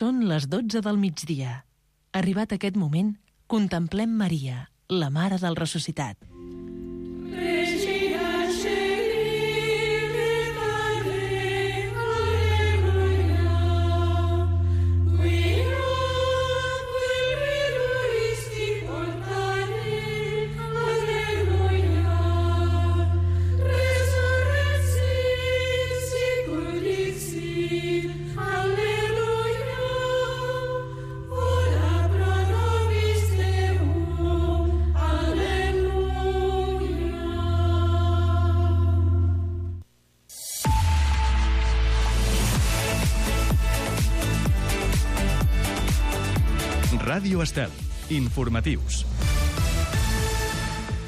Són les 12 del migdia. Arribat aquest moment, contemplem Maria, la Mare del Ressuscitat. Ràdio Estel. Informatius.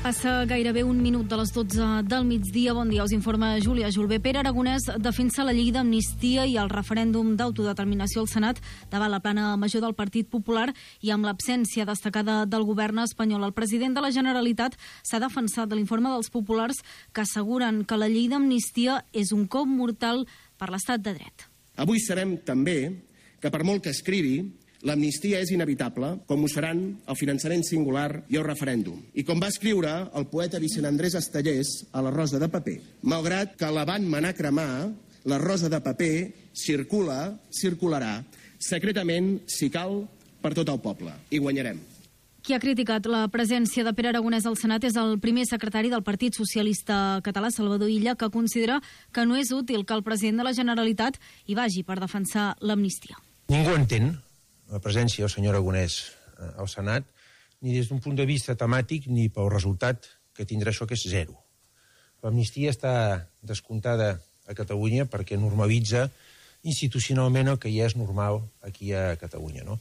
Passa gairebé un minut de les 12 del migdia. Bon dia, us informa Júlia Julbé. Pere Aragonès defensa la llei d'amnistia i el referèndum d'autodeterminació al Senat davant la plana major del Partit Popular i amb l'absència destacada del govern espanyol. El president de la Generalitat s'ha defensat de l'informe dels populars que asseguren que la llei d'amnistia és un cop mortal per l'estat de dret. Avui sabem també que per molt que escrivi, l'amnistia és inevitable, com ho seran el finançament singular i el referèndum. I com va escriure el poeta Vicent Andrés Estellés a La Rosa de Paper, malgrat que la van manar cremar, la rosa de paper circularà, secretament, si cal, per tot el poble. I guanyarem. Qui ha criticat la presència de Pere Aragonès al Senat és el primer secretari del Partit Socialista Català, Salvador Illa, que considera que no és útil que el president de la Generalitat hi vagi per defensar l'amnistia. Ningú entén la presència del senyor Aragonès al Senat, ni des d'un punt de vista temàtic ni pel resultat que tindrà això, que és zero. L'amnistia està descomptada a Catalunya perquè normalitza institucionalment el que ja és normal aquí a Catalunya, no?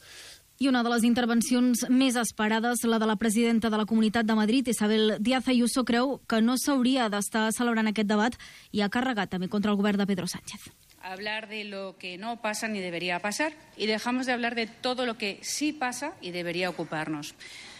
I una de les intervencions més esperades, la de la presidenta de la Comunitat de Madrid, Isabel Díaz Ayuso, creu que no s'hauria d'estar celebrant aquest debat i ha carregat també contra el govern de Pedro Sánchez. Hablar de lo que no pasa ni debería pasar y dejamos de hablar de todo lo que sí pasa y debería ocuparnos.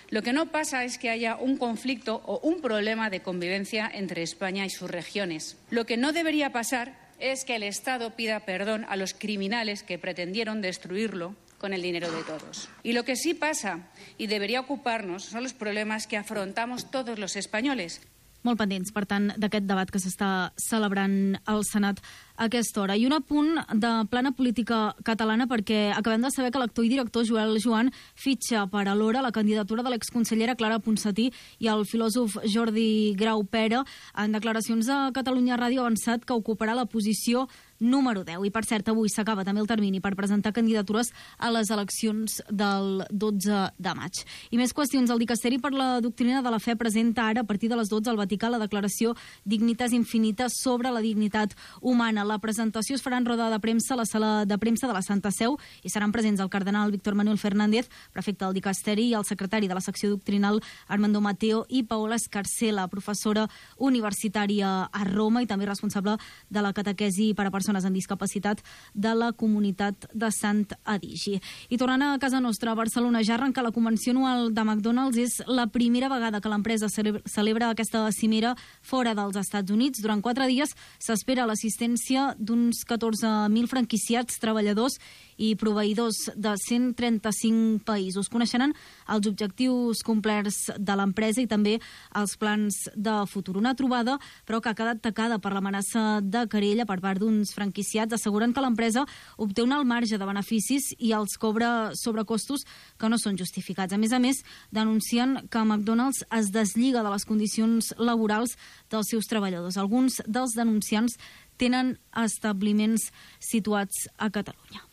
Lo que no pasa es que haya un conflicto o un problema de convivencia entre España y sus regiones. Lo que no debería pasar es que el Estado pida perdón a los criminales que pretendieron destruirlo con el dinero de todos. Y lo que sí pasa y debería ocuparnos son los problemas que afrontamos todos los españoles. Molt pendents, per tant, d'aquest debat que s'està celebrant al Senat a aquesta hora. I un apunt de plana política catalana, perquè acabem de saber que l'actor i director Joel Joan fitxa per alhora la candidatura de l'exconsellera Clara Ponsatí i el filòsof Jordi Grau Pera. En declaracions a Catalunya Ràdio ha avançat que ocuparà la posició número 10. I, per cert, avui s'acaba també el termini per presentar candidatures a les eleccions del 12 de maig. I més qüestions. El Dicasteri per la Doctrina de la Fe presenta ara, a partir de les 12 al Vaticà, la declaració Dignitas Infinita sobre la dignitat humana. La presentació es farà en roda de premsa a la sala de premsa de la Santa Seu i seran presents el cardenal Víctor Manuel Fernández, prefecte del Dicasteri, i el secretari de la secció doctrinal Armando Mateo i Paola Escarcela, professora universitària a Roma i també responsable de la catequesi per a persones amb discapacitat de la comunitat de Sant Adigi. I tornant a casa nostra, a Barcelona, ja arrenca la convenció anual de McDonald's. És la primera vegada que l'empresa celebra aquesta cimera fora dels Estats Units. Durant 4 dies s'espera l'assistència d'uns 14.000 franquiciats, treballadors i proveïdors de 135 països. Coneixeran els objectius complerts de l'empresa i també els plans de futur. Una trobada, però, que ha quedat tacada per l'amenaça de querella per part d'uns franquiciats. Asseguren que l'empresa obté un alt marge de beneficis i els cobra sobrecostos que no són justificats. A més, denuncien que McDonald's es deslliga de les condicions laborals dels seus treballadors. Alguns dels denunciants tenen establiments situats a Catalunya.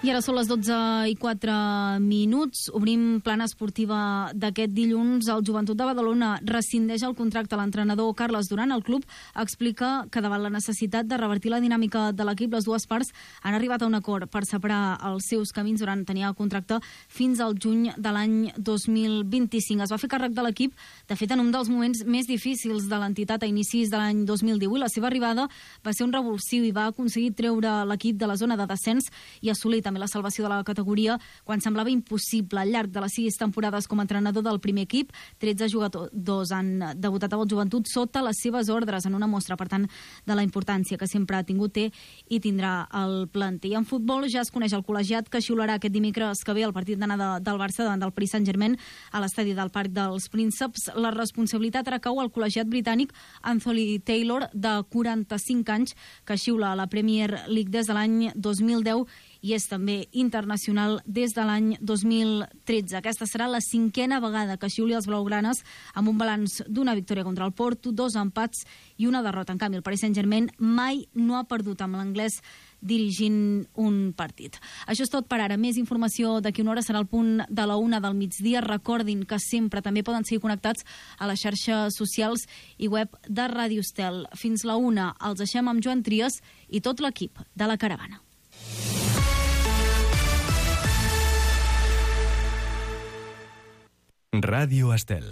I ara són les 12:04. Obrim plana esportiva d'aquest dilluns. El Joventut de Badalona rescindeix el contracte a l'entrenador Carles Duran. El club explica que davant la necessitat de revertir la dinàmica de l'equip, les dues parts han arribat a un acord per separar els seus camins. Duran tenia el contracte fins al juny de l'any 2025. Es va fer càrrec de l'equip, de fet, en un dels moments més difícils de l'entitat a inicis de l'any 2018. La seva arribada va ser un revulsiu i va aconseguir treure l'equip de la zona de descens i assolir també també la salvació de la categoria quan semblava impossible. Al llarg de les 6 temporades com a entrenador del primer equip, 13 jugadors han debutat a la joventut sota les seves ordres, en una mostra, per tant, de la importància que sempre ha tingut, té i tindrà el planter. I en futbol ja es coneix el col·legiat que xiularà aquest dimecres que ve el partit d'anada del Barça davant del Paris Saint-Germain a l'estadi del Parc dels Prínceps. La responsabilitat recau al col·legiat britànic Anthony Taylor, de 45 anys, que xiula a la Premier League des de l'any 2010 i és també internacional des de l'any 2013. Aquesta serà la 5a vegada que xiuli els blaugranes, amb un balanç d'una victòria contra el Porto, 2 empats i una derrota. En canvi, el Paris Saint-Germain mai no ha perdut amb l'anglès dirigint un partit. Això és tot per ara. Més informació d'aquí una hora serà al punt de la 1 del migdia. Recordin que sempre també poden seguir connectats a les xarxes socials i web de Ràdio Estel. Fins la 1 els deixem amb Joan Trias i tot l'equip de la Caravana. Ràdio Estel.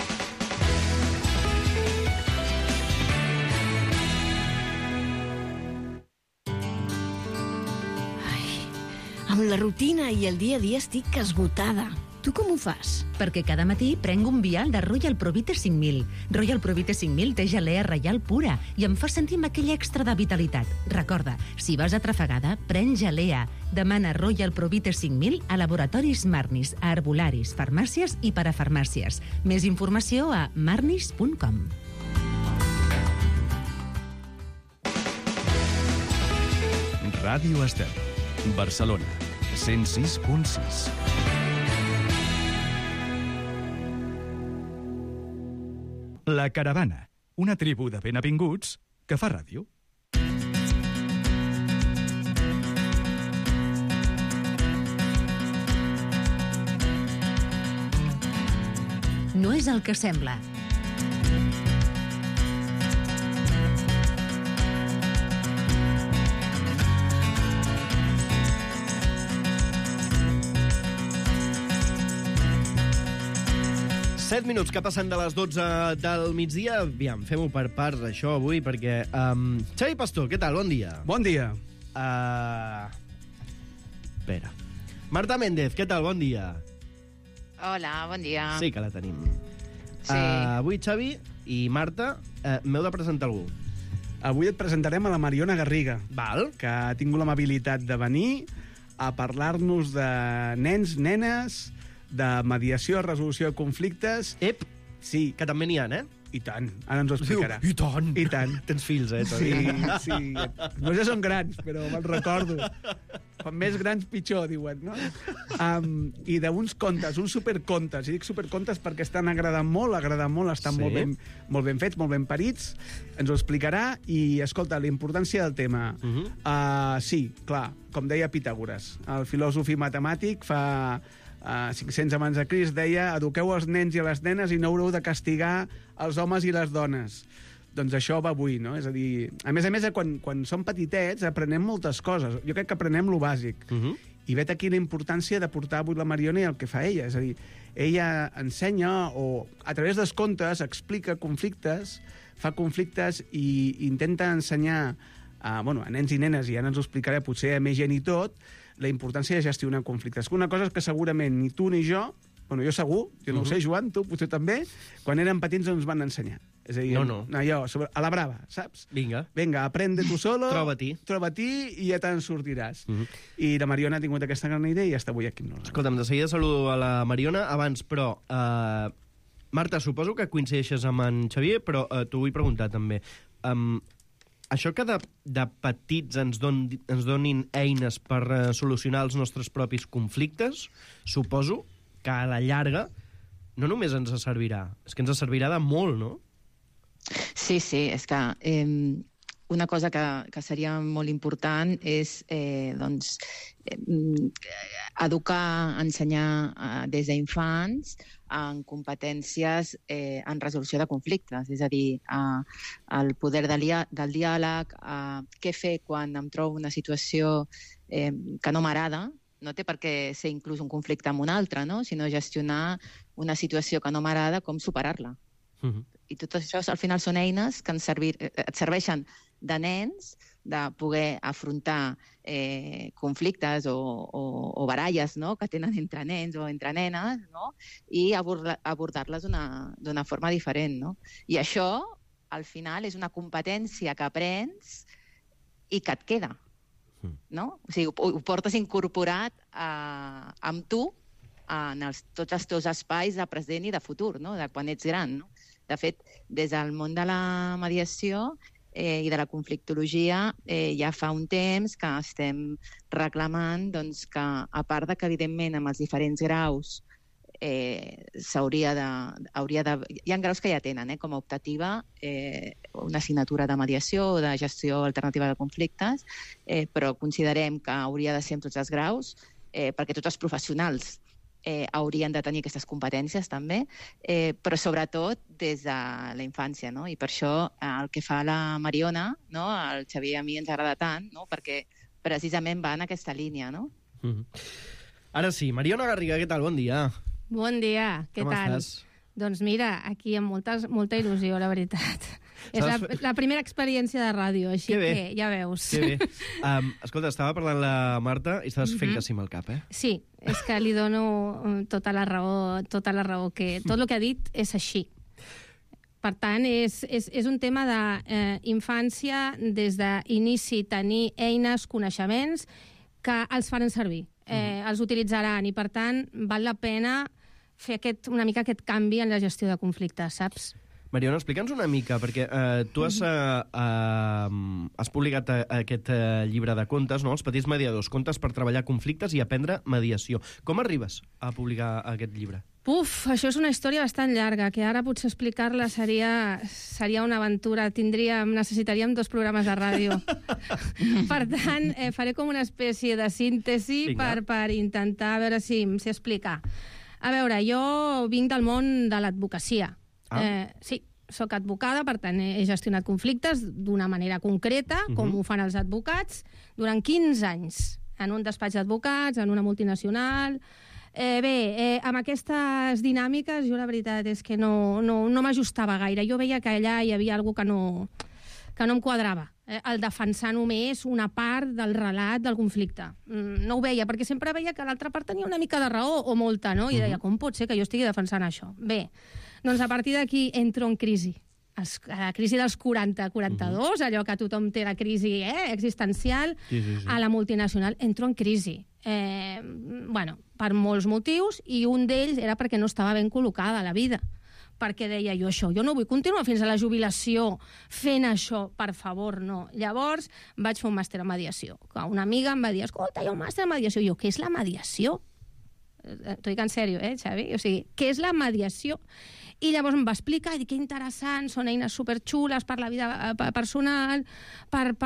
Amb la rutina i el dia a dia estic esgotada. Tu com ho fas? Perquè cada matí prenc un vial de Royal Provite 5000. Royal Provite 5000 té gelea reial pura i em fa sentir amb aquell extra de vitalitat. Recorda, si vas atrafegada, pren gelea. Demana Royal Provite 5000 a laboratoris Marnis, a herbolaris, farmàcies i parafarmàcies. Més informació a marnis.com. Ràdio Estel. Barcelona, 106.6. La Caravana, una tribu de benavinguts que fa ràdio. No és el que sembla. Set minuts que passen de les 12 del migdia. Aviam, fem-ho per parts, això, avui, perquè... Xavi Pastor, què tal? Bon dia. Bon dia. Espera. Marta Méndez, què tal? Bon dia. Hola, bon dia. Sí que la tenim. Sí. Avui, Xavi i Marta, m'heu de presentar algú. Avui et presentarem a la Mariona Garriga, Val. que ha tingut l'amabilitat de venir a parlar-nos de nens, nenes, de mediació, resolució de conflictes... Ep, sí. Que també n'hi ha, eh? I tant, ara ens ho explicarà. I tant. I tant. Tens fills, Sí, sí. No ja són grans, però me'n recordo. Com més grans, pitjor, diuen, no? I d'uns contes, uns supercontes. I dic supercontes perquè estan agradant molt, estan Sí. molt ben fets, molt ben parits. Ens ho explicarà i, escolta, la importància del tema. Sí, clar, com deia Pitàgores, el filòsof i matemàtic fa... 500 abans de Crist deia: eduqueu els nens i les nenes i no haureu de castigar els homes i les dones. Doncs això va avui, no? És a dir, a més, quan som petitets aprenem moltes coses. Jo crec que aprenem lo bàsic. I vet aquí la importància de portar avui la Mariona i el que fa ella. És a dir, ella ensenya o a través dels contes explica conflictes, fa conflictes i intenta ensenyar a nens i nenes, i ara ens ho explicaré potser a més gent i tot, la importància de gestionar conflictes. Una cosa és que segurament ni tu ni jo, jo segur, jo no ho sé, Joan, tu potser també, quan érem petits ens van ensenyar. És a dir, allò, a la brava, saps? Vinga, aprende tu solo, troba-t'hi i ja te'n sortiràs. I la Mariona ha tingut aquesta gran idea i ja està avui aquí amb nosaltres. Escolta'm, de seguida saludo a la Mariona. Abans, però, Marta, suposo que coincideixes amb en Xavier, però t'ho vull preguntar també. Això que de petits ens donin eines per solucionar els nostres propis conflictes, suposo que a la llarga no només ens servirà, és que ens servirà de molt, no? Sí, és que una cosa que seria molt important és educar, ensenyar des d'infants en competències en resolució de conflictes, és a dir, el poder del diàleg, què fer quan em trobo una situació que no m'agrada, no té per què ser inclús un conflicte amb un altre, no? Sinó gestionar una situació que no m'agrada, com superar-la. I tot això al final són eines que et serveixen de nens de poder afrontar conflictes o baralles, no?, que tenen entre nens o entre nenes, no?, i abordar-les d'una forma diferent, no? I això, al final, és una competència que aprens i que et queda, no? O sigui, ho portes incorporat amb tu en tots els teus espais de present i de futur, no?, de quan ets gran, no? De fet, des del món de la mediació i de la conflictologia ja fa un temps que estem reclamant que, a part de que, evidentment, amb els diferents graus hi ha graus que ja tenen com a optativa una assignatura de mediació o de gestió alternativa de conflictes, però considerem que hauria de ser en tots els graus, perquè tots els professionals haurien de tenir aquestes competències també, però sobretot des de la infància, no? I per això el que fa la Mariona, no?, el Xavier a mi ens agrada tant, no?, perquè precisament va en aquesta línia, no? Ara sí, Mariona Garriga, què tal? Bon dia. Bon dia, què tal? estàs? Doncs mira, aquí amb molta il·lusió, la veritat. És la primera experiència de ràdio, així que ja veus. Que bé. Escolta, estava parlant la Marta i estaves fent que sí amb el cap, eh? Sí, és que li dono tota la raó, que tot el que ha dit és així. Per tant, és un tema d'infància, des d'inici, tenir eines, coneixements, que els faran servir, els utilitzaran, i per tant val la pena fer una mica aquest canvi en la gestió de conflictes, saps? Mariona, explica'ns una mica, perquè tu has publicat aquest llibre de contes, no?, Els petits mediadors, contes per treballar conflictes i aprendre mediació. Com arribes a publicar aquest llibre? Això és una història bastant llarga, que ara potser explicar-la seria una aventura. Necessitaríem 2 programes de ràdio. Per tant, faré com una espècie de síntesi per intentar veure si em sé explicar. A veure, jo vinc del món de l'advocacia. Sí, soc advocada, per tant he gestionat conflictes d'una manera concreta, com ho fan els advocats, durant 15 anys, en un despatx d'advocats, en una multinacional. Amb aquestes dinàmiques, jo la veritat és que no m'ajustava gaire. Jo veia que allà hi havia alguna que no em quadrava. El defensar només una part del relat del conflicte. No ho veia, perquè sempre veia que l'altra part tenia una mica de raó, o molta, no? I deia, com pot ser que jo estigui defensant això? Bé, doncs a partir d'aquí entro en crisi. La crisi dels 40-42, allò que tothom té la crisi existencial, a la multinacional entro en crisi. Per molts motius, i un d'ells era perquè no estava ben col·locada a la vida. Perquè deia jo això, jo no vull continuar fins a la jubilació fent això, per favor, no. Llavors vaig fer un màster en mediació. Una amiga em va dir, escolta, hi ha un màster en mediació. I jo, què és la mediació? T'ho dic en sèrio, Xavi? O sigui, què és la mediació? I llavors em va explicar, i dic, que interessant, són eines superxules per la vida personal, per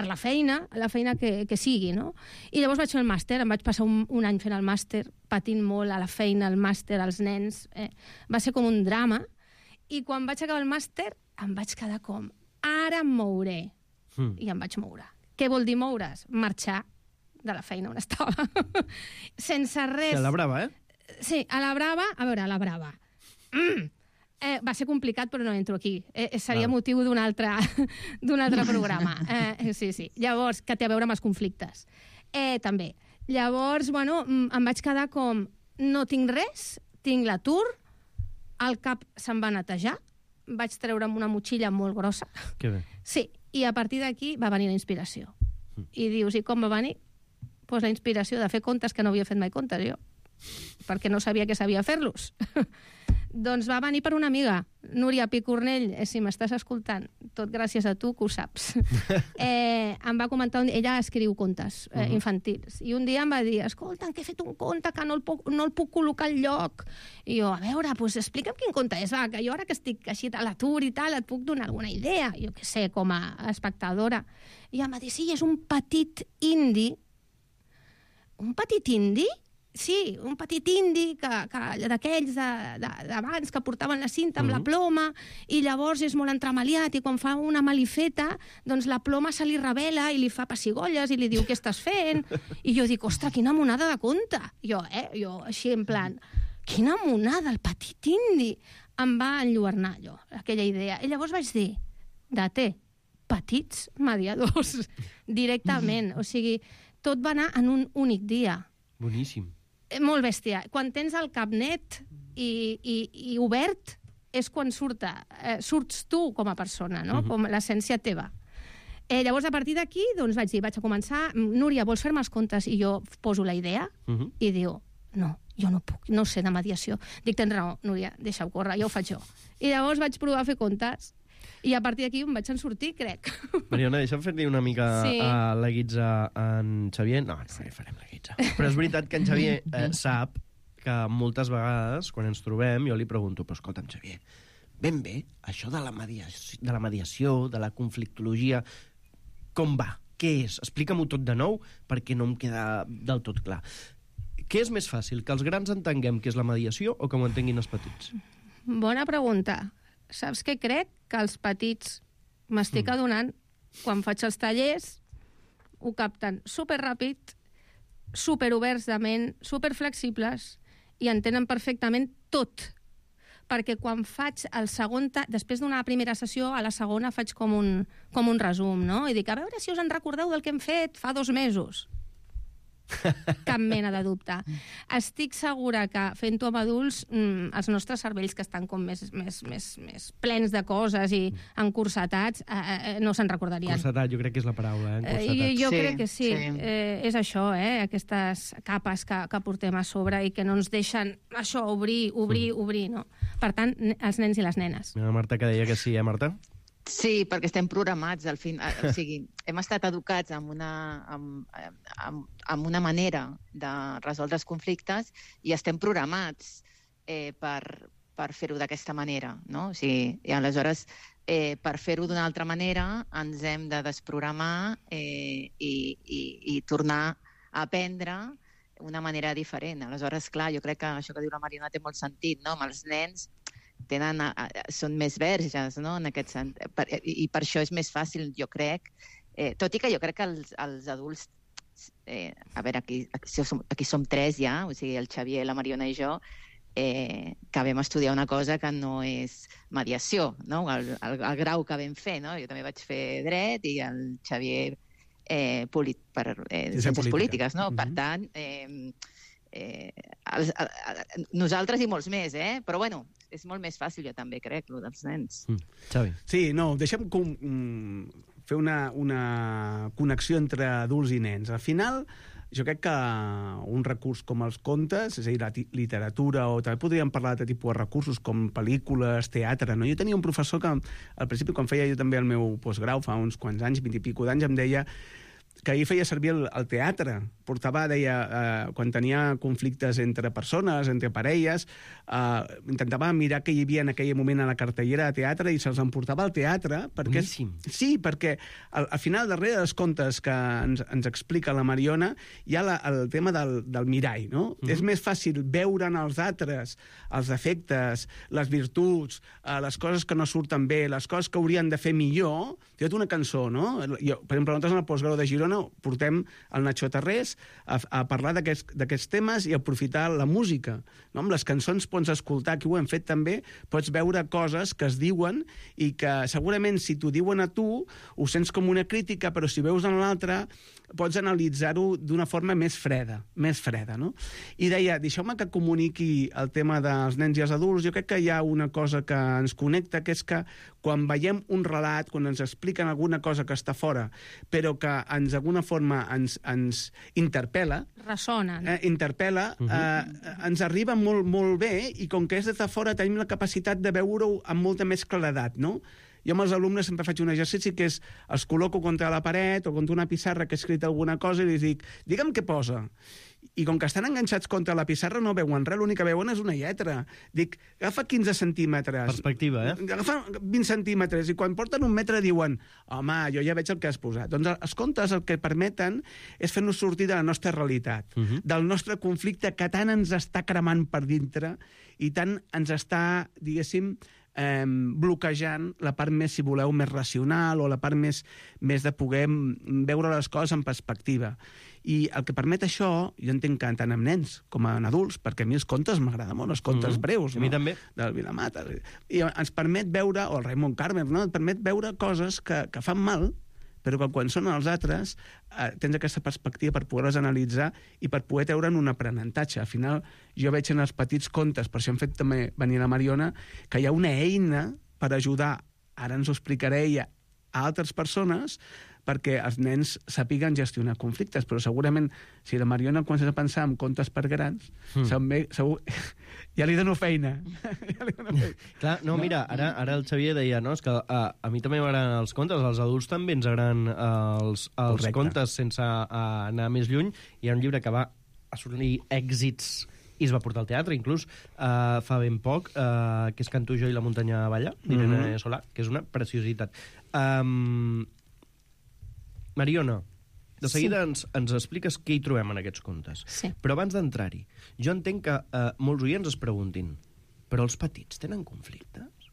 la feina que sigui, no? I llavors vaig fer el màster, em vaig passar un any fent el màster, patint molt a la feina, al màster, als nens. Va ser com un drama. I quan vaig acabar el màster, em vaig quedar com, ara em mouré. I em vaig moure. Què vol dir moure's? Marxar de la feina on estava. Sense res. A la brava, Sí, a la brava. A veure, a la brava. Va ser complicat, però no entro aquí. Seria motiu d'un altre programa. Sí. Llavors, que té a veure amb els conflictes. També. Llavors, em vaig quedar com, no tinc res, tinc l'atur, el cap se'm va netejar, vaig treure'm una motxilla molt grossa. Que bé. Sí, i a partir d'aquí va venir la inspiració. I dius, i com va venir? Doncs la inspiració de fer contes que no havia fet mai contes, jo. Perquè no sabia que sabia fer-los. Doncs va venir per una amiga, Núria Picornell, si m'estàs escoltant, tot gràcies a tu, que ho saps. Em va comentar, ella escriu contes infantils, i un dia em va dir, escolta, que he fet un conte que no el puc col·locar al lloc. I jo, a veure, doncs explica'm quin conte és, que jo ara que estic així a l'atur i tal, et puc donar alguna idea, jo què sé, com a espectadora. I em va dir, sí, és un petit indi. Un petit indi? Sí, un petit indi d'aquells d'abans que portaven la cinta amb la ploma, i llavors és molt entremaliat, i quan fa una malifeta, doncs la ploma se li revela i li fa pessigolles i li diu què estàs fent. I jo dic, ostres, quina monada de conte. Jo així en plan, quina monada, el petit indi. Em va enlluernar, aquella idea. I llavors vaig dir, petits mediadors, directament. O sigui, tot va anar en un únic dia. Boníssim. Molt bèstia. Quan tens el cap net i obert, és quan surts tu com a persona, no? Com l'essència teva. Llavors, a partir d'aquí, doncs vaig dir, vaig a començar, Núria, vols fer-me els comptes? I jo poso la idea i diu, no, jo no puc, no sé de mediació. Dic, tens raó, Núria, deixa-ho córrer, ja ho faig jo. I llavors vaig provar a fer comptes i a partir d'aquí em vaig en sortir, crec. Mariona, deixa'm fer-li una mica la guitza a en Xavier. No farem la guitza. Però és veritat que en Xavier sap que moltes vegades, quan ens trobem, jo li pregunto, però escolta'm, Xavier, ben bé, això de la mediació, de la conflictologia, com va? Què és? Explica-m'ho tot de nou, perquè no em queda del tot clar. Què és més fàcil, que els grans entenguem què és la mediació o que ho entenguin els petits? Bona pregunta. Saps què crec? Que els petits m'estic adonant, quan faig els tallers, ho capten superràpid, superoberts de ment, superflexibles, i entenen perfectament tot. Perquè quan faig el segon... Després d'una primera sessió, a la segona faig com un resum, no? I dic, a veure si us en recordeu del que hem fet fa 2 mesos. Cap mena de dubte. Estic segura que fent-ho amb adults, els nostres cervells que estan com més plens de coses i encursetats, no se'n recordarien. Cursetat, jo crec que és la paraula, encursetat. Jo crec que sí. És això, aquestes capes que portem a sobre i que no ens deixen això, obrir, no? Per tant, els nens i les nenes. Mira, Marta, que deia que sí, Marta? Sí, perquè estem programats, al fin. O sigui, hem estat educats amb una manera de resoldre els conflictes i estem programats per fer-ho d'aquesta manera, no? O sigui, i aleshores, per fer-ho d'una altra manera, ens hem de desprogramar i tornar a aprendre una manera diferent. Aleshores, clar, jo crec que això que diu la Mariona té molt sentit, no? Amb els nens són més verges, no? En aquest sentit. I per això és més fàcil, jo crec, tot i que jo crec que els adults, a veure, aquí som 3 ja, o sigui, el Xavier, la Mariona i jo, que vam estudiar una cosa que no és mediació, no? El grau que vam fer, no? Jo també vaig fer dret i el Xavier ciències polítiques, no? Per tant, nosaltres i molts més, però bueno, és molt més fàcil, jo també crec, el dels nens. Xavi. Sí, no, deixa'm fer una connexió entre adults i nens. Al final, jo crec que un recurs com els contes, és a dir, la literatura, o també podríem parlar de tipus de recursos com pel·lícules, teatre, no? Jo tenia un professor que, al principi, quan feia jo també el meu postgrau, fa uns quants anys, 20 i pico d'anys, em deia que ell feia servir el teatre. Portava, deia, quan tenia conflictes entre persones, entre parelles, intentava mirar què hi havia en aquell moment a la cartellera de teatre i se'ls emportava al teatre. Perquè, sí, perquè al final, darrere dels contes que ens explica la Mariona, hi ha el tema del mirall, no? És més fàcil veure en els altres els defectes, les virtuts, les coses que no surten bé, les coses que haurien de fer millor. Té una cançó, no? Jo, per exemple, nosaltres en el postgrau de Girona portem el Nacho Tarrés a parlar d'aquests temes i aprofitar la música, no? Amb les cançons pots escoltar, que ho hem fet també, pots veure coses que es diuen i que segurament si t'ho diuen a tu ho sents com una crítica, però si veus en l'altre pots analitzar-ho d'una forma més freda, no? I deia, deixeu-me que comuniqui el tema dels nens i els adults. Jo crec que hi ha una cosa que ens connecta, que és que quan veiem un relat, quan ens expliquen alguna cosa que està fora, però que d'alguna forma ens interpel·la, ressonen. Interpel·la, ens arriba molt, molt bé, i com que és des de fora tenim la capacitat de veure-ho amb molta més claredat, no? Jo amb els alumnes sempre faig un exercici que és els col·loco contra la paret o contra una pissarra que he escrit alguna cosa i li dic, digue'm què posa. I com que estan enganxats contra la pissarra no veuen res, l'únic que veuen és una lletra. Dic, agafa 15 centímetres. Perspectiva, Agafa 20 centímetres i quan porten 1 metre diuen, home, jo ja veig el que has posat. Doncs els contes el que permeten és fer-nos sortir de la nostra realitat, del nostre conflicte que tant ens està cremant per dintre i tant ens està, diguéssim, bloquejant la part més, si voleu, més racional o la part més de poder veure les coses en perspectiva. I el que permet això, jo entenc que tant amb nens com en adults, perquè a mi els contes m'agraden molt, els contes breus, a mi també, del Vilamata, i ens permet veure, o el Raimon Carmen, no? Et permet veure coses que fan mal, però que quan són els altres tens aquesta perspectiva per poder-les analitzar i per poder treure'n un aprenentatge. Al final, jo veig en els petits contes, per això hem fet també venir la Mariona, que hi ha una eina per ajudar, ara ens ho explicaré ella, a altres persones, perquè els nens sàpiguen gestionar conflictes, però segurament si la Mariona comença a pensar en contes per grans, segur, ja li dono feina. Clar, no, mira, ara el Xavier deia, no, és que a mi també m'agraden els contes, als adults també ens agraden els contes sense anar més lluny. Hi ha un llibre que va assolir èxits i es va portar al teatre, inclús, fa ben poc, que és Canto jo i la muntanya balla, d'Irene Solà, que és una preciositat. Mariona, de seguida ens expliques què hi trobem en aquests contes. Sí. Però abans d'entrar-hi, jo entenc que molts oients es preguntin, però els petits tenen conflictes?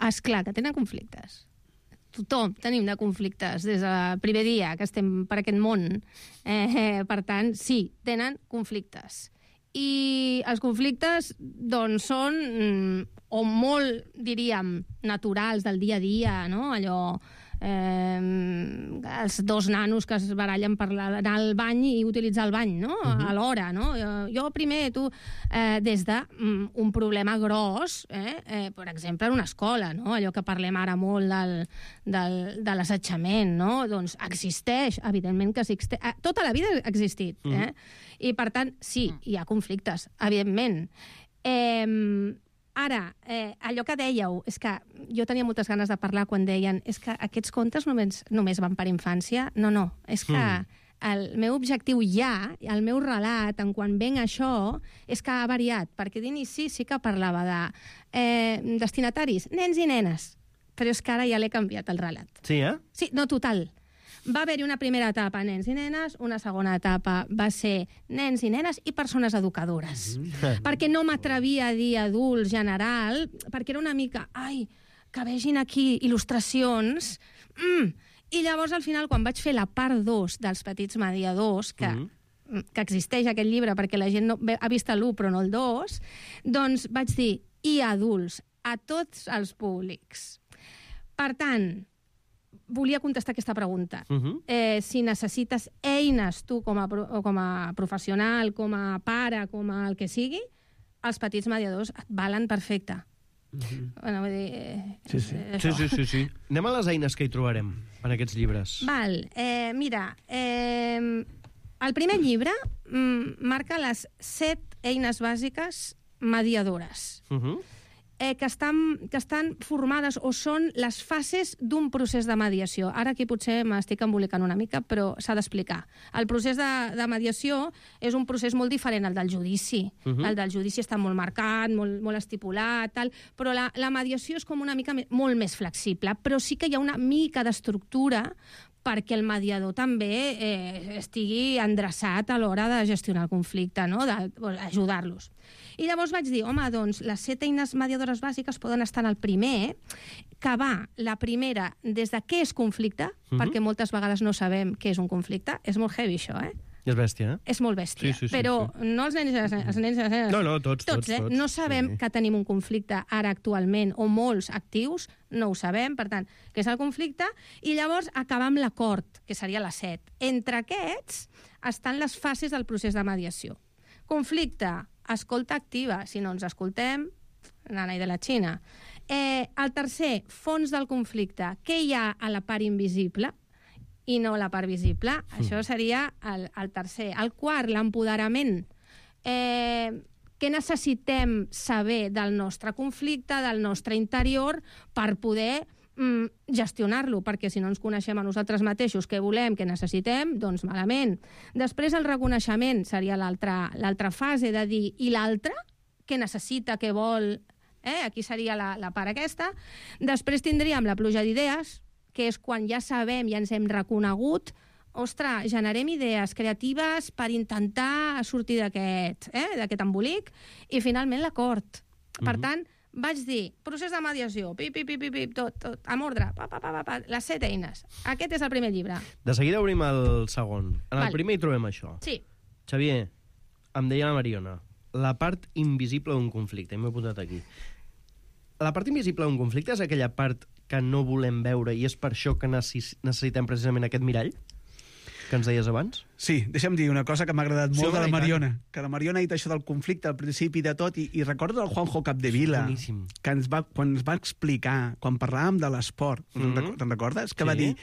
Esclar que tenen conflictes. Tothom tenim de conflictes des del primer dia que estem per aquest món. Per tant, sí, tenen conflictes. I els conflictes, doncs, són o molt, diríem, naturals del dia a dia, no? Allò, els dos nanos que es barallen per anar al bany i utilitzar el bany, no? A l'hora, no? Jo primer, tu, des d'un problema gros, per exemple, en una escola, no? Allò que parlem ara molt de l'assetjament, no? Doncs existeix, evidentment que existeix. Tota la vida ha existit, I, per tant, sí, hi ha conflictes, evidentment. Ara, allò que dèieu, és que jo tenia moltes ganes de parlar quan deien és que aquests contes només van per infància. No, és que el meu objectiu el meu relat, en quan venc això, és que ha variat, perquè d'inici sí que parlava de destinataris, nens i nenes, però és que ara ja l'he canviat el relat. Sí, Sí, no, total. Va haver-hi una primera etapa nens i nenes, una segona etapa va ser nens i nenes i persones educadores. Perquè no m'atrevia a dir adult general, perquè era una mica, que vegin aquí il·lustracions. I llavors, al final, quan vaig fer la part 2 dels petits mediadors, que existeix aquest llibre perquè la gent ha vist l'1 però no el 2, doncs vaig dir, i adults, a tots els públics. Per tant, volia contestar aquesta pregunta. Si necessites eines, tu, com a professional, com a pare, com a el que sigui, els petits mediadors et valen perfecte. Bueno, vull dir... Sí. Anem a les eines que hi trobarem en aquests llibres. Val. Mira, el primer llibre marca les 7 eines bàsiques mediadores. Que estan formades o són les fases d'un procés de mediació. Ara aquí potser m'estic embolicant una mica, però s'ha d'explicar. El procés de mediació és un procés molt diferent al del judici. El del judici està molt marcat, molt estipulat, tal, però la mediació és com una mica molt més flexible, però sí que hi ha una mica d'estructura perquè el mediador també estigui endreçat a l'hora de gestionar el conflicte, no? D'ajudar-los. I llavors vaig dir, home, doncs les 7 eines mediadores bàsiques poden estar en el primer, que va, la primera, des de què és conflicte, perquè moltes vegades no sabem què és un conflicte. És molt heavy, això, És bèstia, És molt bèstia. Però no els nens i les nenes... No, tots. No sabem que tenim un conflicte ara actualment, o molts actius, no ho sabem, per tant, què és el conflicte, i llavors acabar amb l'acord, que seria la 7. Entre aquests estan les fases del procés de mediació. Conflicte, escolta activa, si no ens escoltem, nana i de la Xina. El tercer, fons del conflicte, què hi ha a la part invisible i no a la part visible? Això seria el tercer. El quart, l'empoderament. Què necessitem saber del nostre conflicte, del nostre interior, per poder gestionar-lo, perquè si no ens coneixem a nosaltres mateixos què volem, què necessitem, doncs malament. Després el reconeixement seria l'altra fase de dir, i l'altre? Què necessita, què vol? Aquí seria la part aquesta. Després tindríem la pluja d'idees, que és quan ja sabem, ja ens hem reconegut, ostres, generem idees creatives per intentar sortir d'aquest embolic, i finalment l'acord. Per tant, Vaig dir, procés de mediació, tot, amb ordre, les 7 eines. Aquest és el primer llibre. De seguida obrim el segon. En el primer hi trobem això. Sí. Xavier, em deia la Mariona, la part invisible d'un conflicte, i m'he apuntat aquí. La part invisible d'un conflicte és aquella part que no volem veure i és per això que necessitem precisament aquest mirall que ens deies abans? Sí, deixa'm dir una cosa que m'ha agradat molt de la Mariona, que la Mariona ha dit això del conflicte al principi de tot, i recordo el Juanjo Capdevila, que quan ens va explicar, quan parlàvem de l'esport, te'n recordes? Que va dir,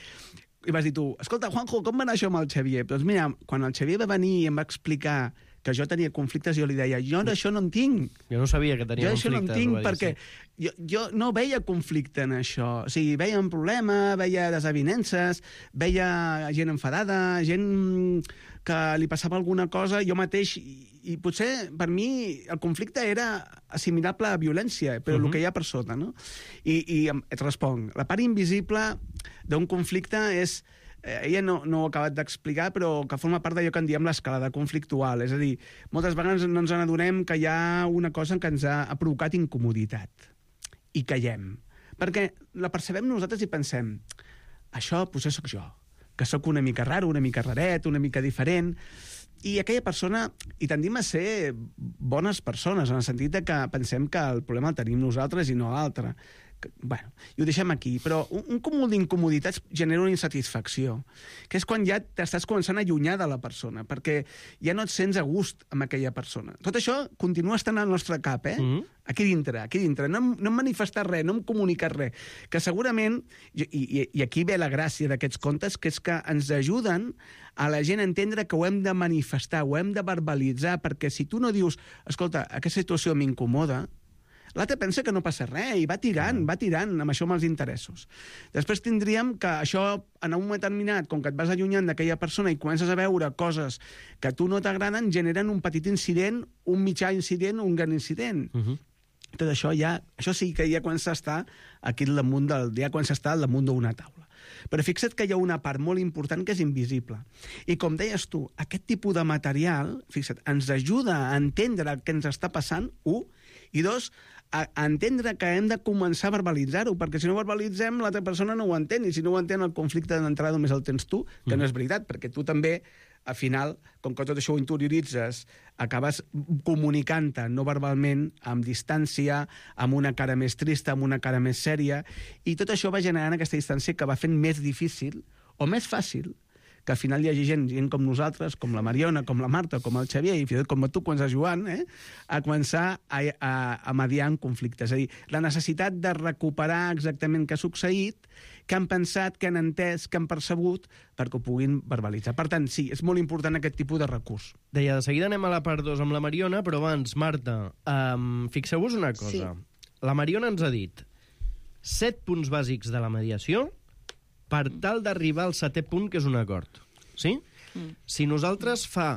i vas dir tu, escolta, Juanjo, com va anar això amb el Xavier? Doncs mira, quan el Xavier va venir i em va explicar que jo tenia conflictes, jo li deia, jo això no en tinc. Jo no sabia que tenia conflictes. Jo això no en tinc perquè jo no veia conflicte en això. O sigui, veia un problema, veia desavinences, veia gent enfadada, gent que li passava alguna cosa, jo mateix, i potser per mi el conflicte era assimilable a violència, però el que hi ha per sota, no? I et responc, la part invisible d'un conflicte és... Ella no ho ha acabat d'explicar, però que forma part d'allò que en diem l'escalada conflictual. És a dir, moltes vegades no ens n'adonem que hi ha una cosa que ens ha provocat incomoditat. I callem. Perquè la percebem nosaltres i pensem, això potser sóc jo, que sóc una mica raro, una mica raret, una mica diferent, i aquella persona, i tendim a ser bones persones, en el sentit que pensem que el problema el tenim nosaltres i no l'altre. Bueno, i ho deixem aquí, però un cúmul d'incomoditats genera una insatisfacció, que és quan ja t'estàs començant a allunyar de la persona, perquè ja no et sents a gust amb aquella persona. Tot això continua estant al nostre cap, aquí dintre. No hem manifestat res, no hem comunicat res, que segurament, i aquí ve la gràcia d'aquests contes, que és que ens ajuden a la gent a entendre que ho hem de manifestar, ho hem de verbalitzar, perquè si tu no dius, escolta, aquesta situació m'incomoda, l'altre pensa que no passa res i va tirant amb això amb els interessos. Després tindríem que això, en un moment determinat, com que et vas allunyant d'aquella persona i comences a veure coses que a tu no t'agraden, generen un petit incident, un mitjà incident, un gran incident. Tot això això sí que ja comença a estar aquí al damunt d'una taula. Però fixa't que hi ha una part molt important que és invisible. I com deies tu, aquest tipus de material, fixa't, ens ajuda a entendre el que ens està passant, i dos, a entendre que hem de començar a verbalitzar-ho, perquè si no verbalitzem, l'altra persona no ho entén, i si no ho entén, el conflicte d'entrada només el tens tu, que no és veritat, perquè tu també, al final, com que tot això ho interioritzes, acabes comunicant-te no verbalment, amb distància, amb una cara més trista, amb una cara més sèria, i tot això va generant aquesta distància que va fent més difícil, o més fàcil, que al final hi hagi gent com nosaltres, com la Mariona, com la Marta, com el Xavier, i fins i tot com tu, quan estàs jugant, a començar a mediar en conflictes. És a dir, la necessitat de recuperar exactament què ha succeït, què han pensat, què han entès, què han percebut, perquè ho puguin verbalitzar. Per tant, sí, és molt important aquest tipus de recurs. Deia, de seguida anem a la part 2 amb la Mariona, però abans, Marta, fixeu-vos una cosa. Sí. La Mariona ens ha dit 7 punts bàsics de la mediació per tal d'arribar al 7è punt, que és un acord. Sí? Si nosaltres fa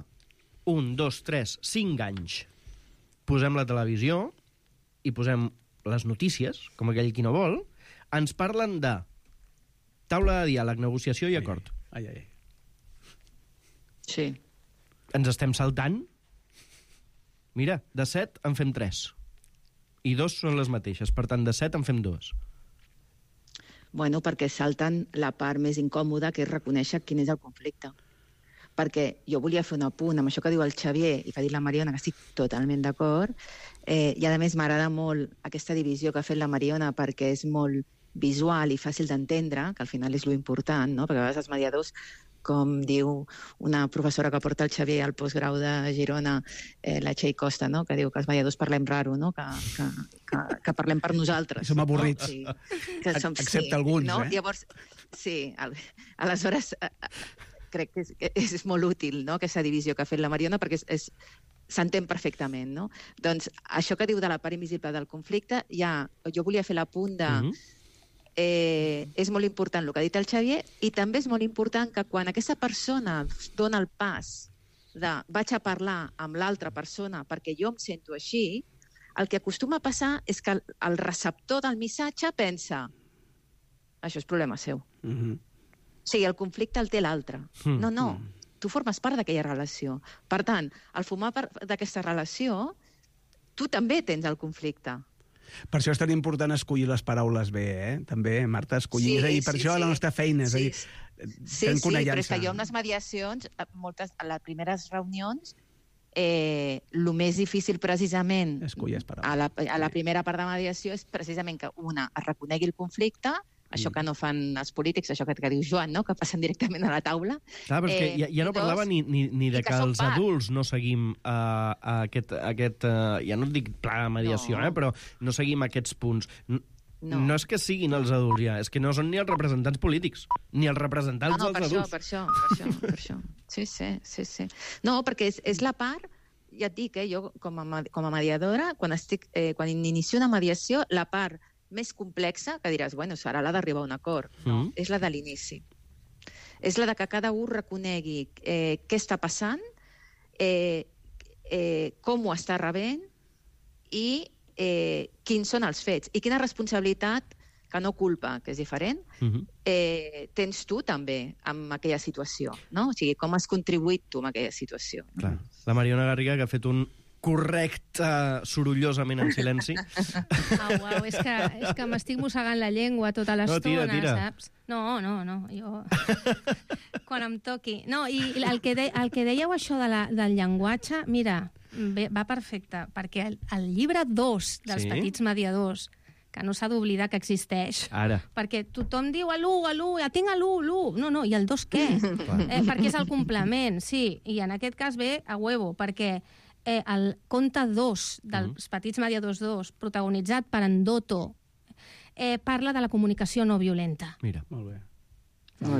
1, 2, 3, 5 anys posem la televisió i posem les notícies, com aquell qui no vol, ens parlen de taula de diàleg, negociació i acord. Sí. Ens estem saltant? Mira, de 7 en fem 3. I 2 són les mateixes. Per tant, de 7 en fem 2. Bueno, perquè salten la part més incòmoda, que és reconèixer quin és el conflicte. Perquè jo volia fer un apunt amb això que diu el Xavier i que ha dit la Mariona, que estic totalment d'acord, i a més m'agrada molt aquesta divisió que ha fet la Mariona perquè és molt visual i fàcil d'entendre, que al final és lo important, no? Perquè a vegades els mediadors, com diu una professora que porta el Xavier al postgrau de Girona, la Txell Costa, no? Que diu que els mediadors parlem raro, no? Que parlem per nosaltres. Som avorrits. No? Sí. Excepte alguns, no? Llavors, sí, aleshores crec que és molt útil, no? Aquesta divisió que ha fet la Mariona, perquè s'entén perfectament, no? Doncs això que diu de la part invisible del conflicte, jo volia fer l'apunt de... és molt important el que ha dit el Xavier, i també és molt important que quan aquesta persona dona el pas de vaig a parlar amb l'altra persona perquè jo em sento així, el que acostuma a passar és que el receptor del missatge pensa això és problema seu. O sigui, el conflicte el té l'altre. No, tu formes part d'aquella relació. Per tant, al formar part d'aquesta relació, tu també tens el conflicte. Per això és tan important escollir les paraules bé, també, Marta, escollir. És a dir, per això la nostra feina, és a dir, Sí, però és que jo en les mediacions, a les primeres reunions, el més difícil precisament a la primera part de mediació és precisament que es reconegui el conflicte, això que no fan els polítics, això que diu Joan, no? Que passen directament a la taula. Clar, però és que ja no parlava ni de que els adults no seguim aquest ja no et dic pla de mediació, però no seguim aquests punts. No és que siguin els adults ja, és que no són ni els representants polítics, ni els representants dels adults. Per això. Sí. No, perquè és la part, ja et dic, jo com a mediadora, quan inicio una mediació, la part més complexa, que diràs, bueno, serà la d'arribar a un acord. No, és la de l'inici. És la de que cada un reconegui què està passant, com ho està rebent i quins són els fets. I quina responsabilitat, que no culpa, que és diferent, tens tu també en aquella situació. No? O sigui, com has contribuït tu en aquella situació. Clar. La Mariona Garriga, que ha fet un correcte sorollosament en silenci. Uau, és que m'estic mossegant la llengua tota l'estona, saps? No, jo... Quan em toqui. No, i el que dèieu això del llenguatge, mira, va perfecte, perquè el llibre 2 dels petits mediadors, que no s'ha d'oblidar que existeix, perquè tothom diu l'1, ja tinc l'1, no, i el 2 què? Perquè és el complement, sí, i en aquest cas ve a huevo, perquè el conte 2 dels petits mediadors 2, protagonitzat per en Dotto, parla de la comunicació no violenta. Mira. Molt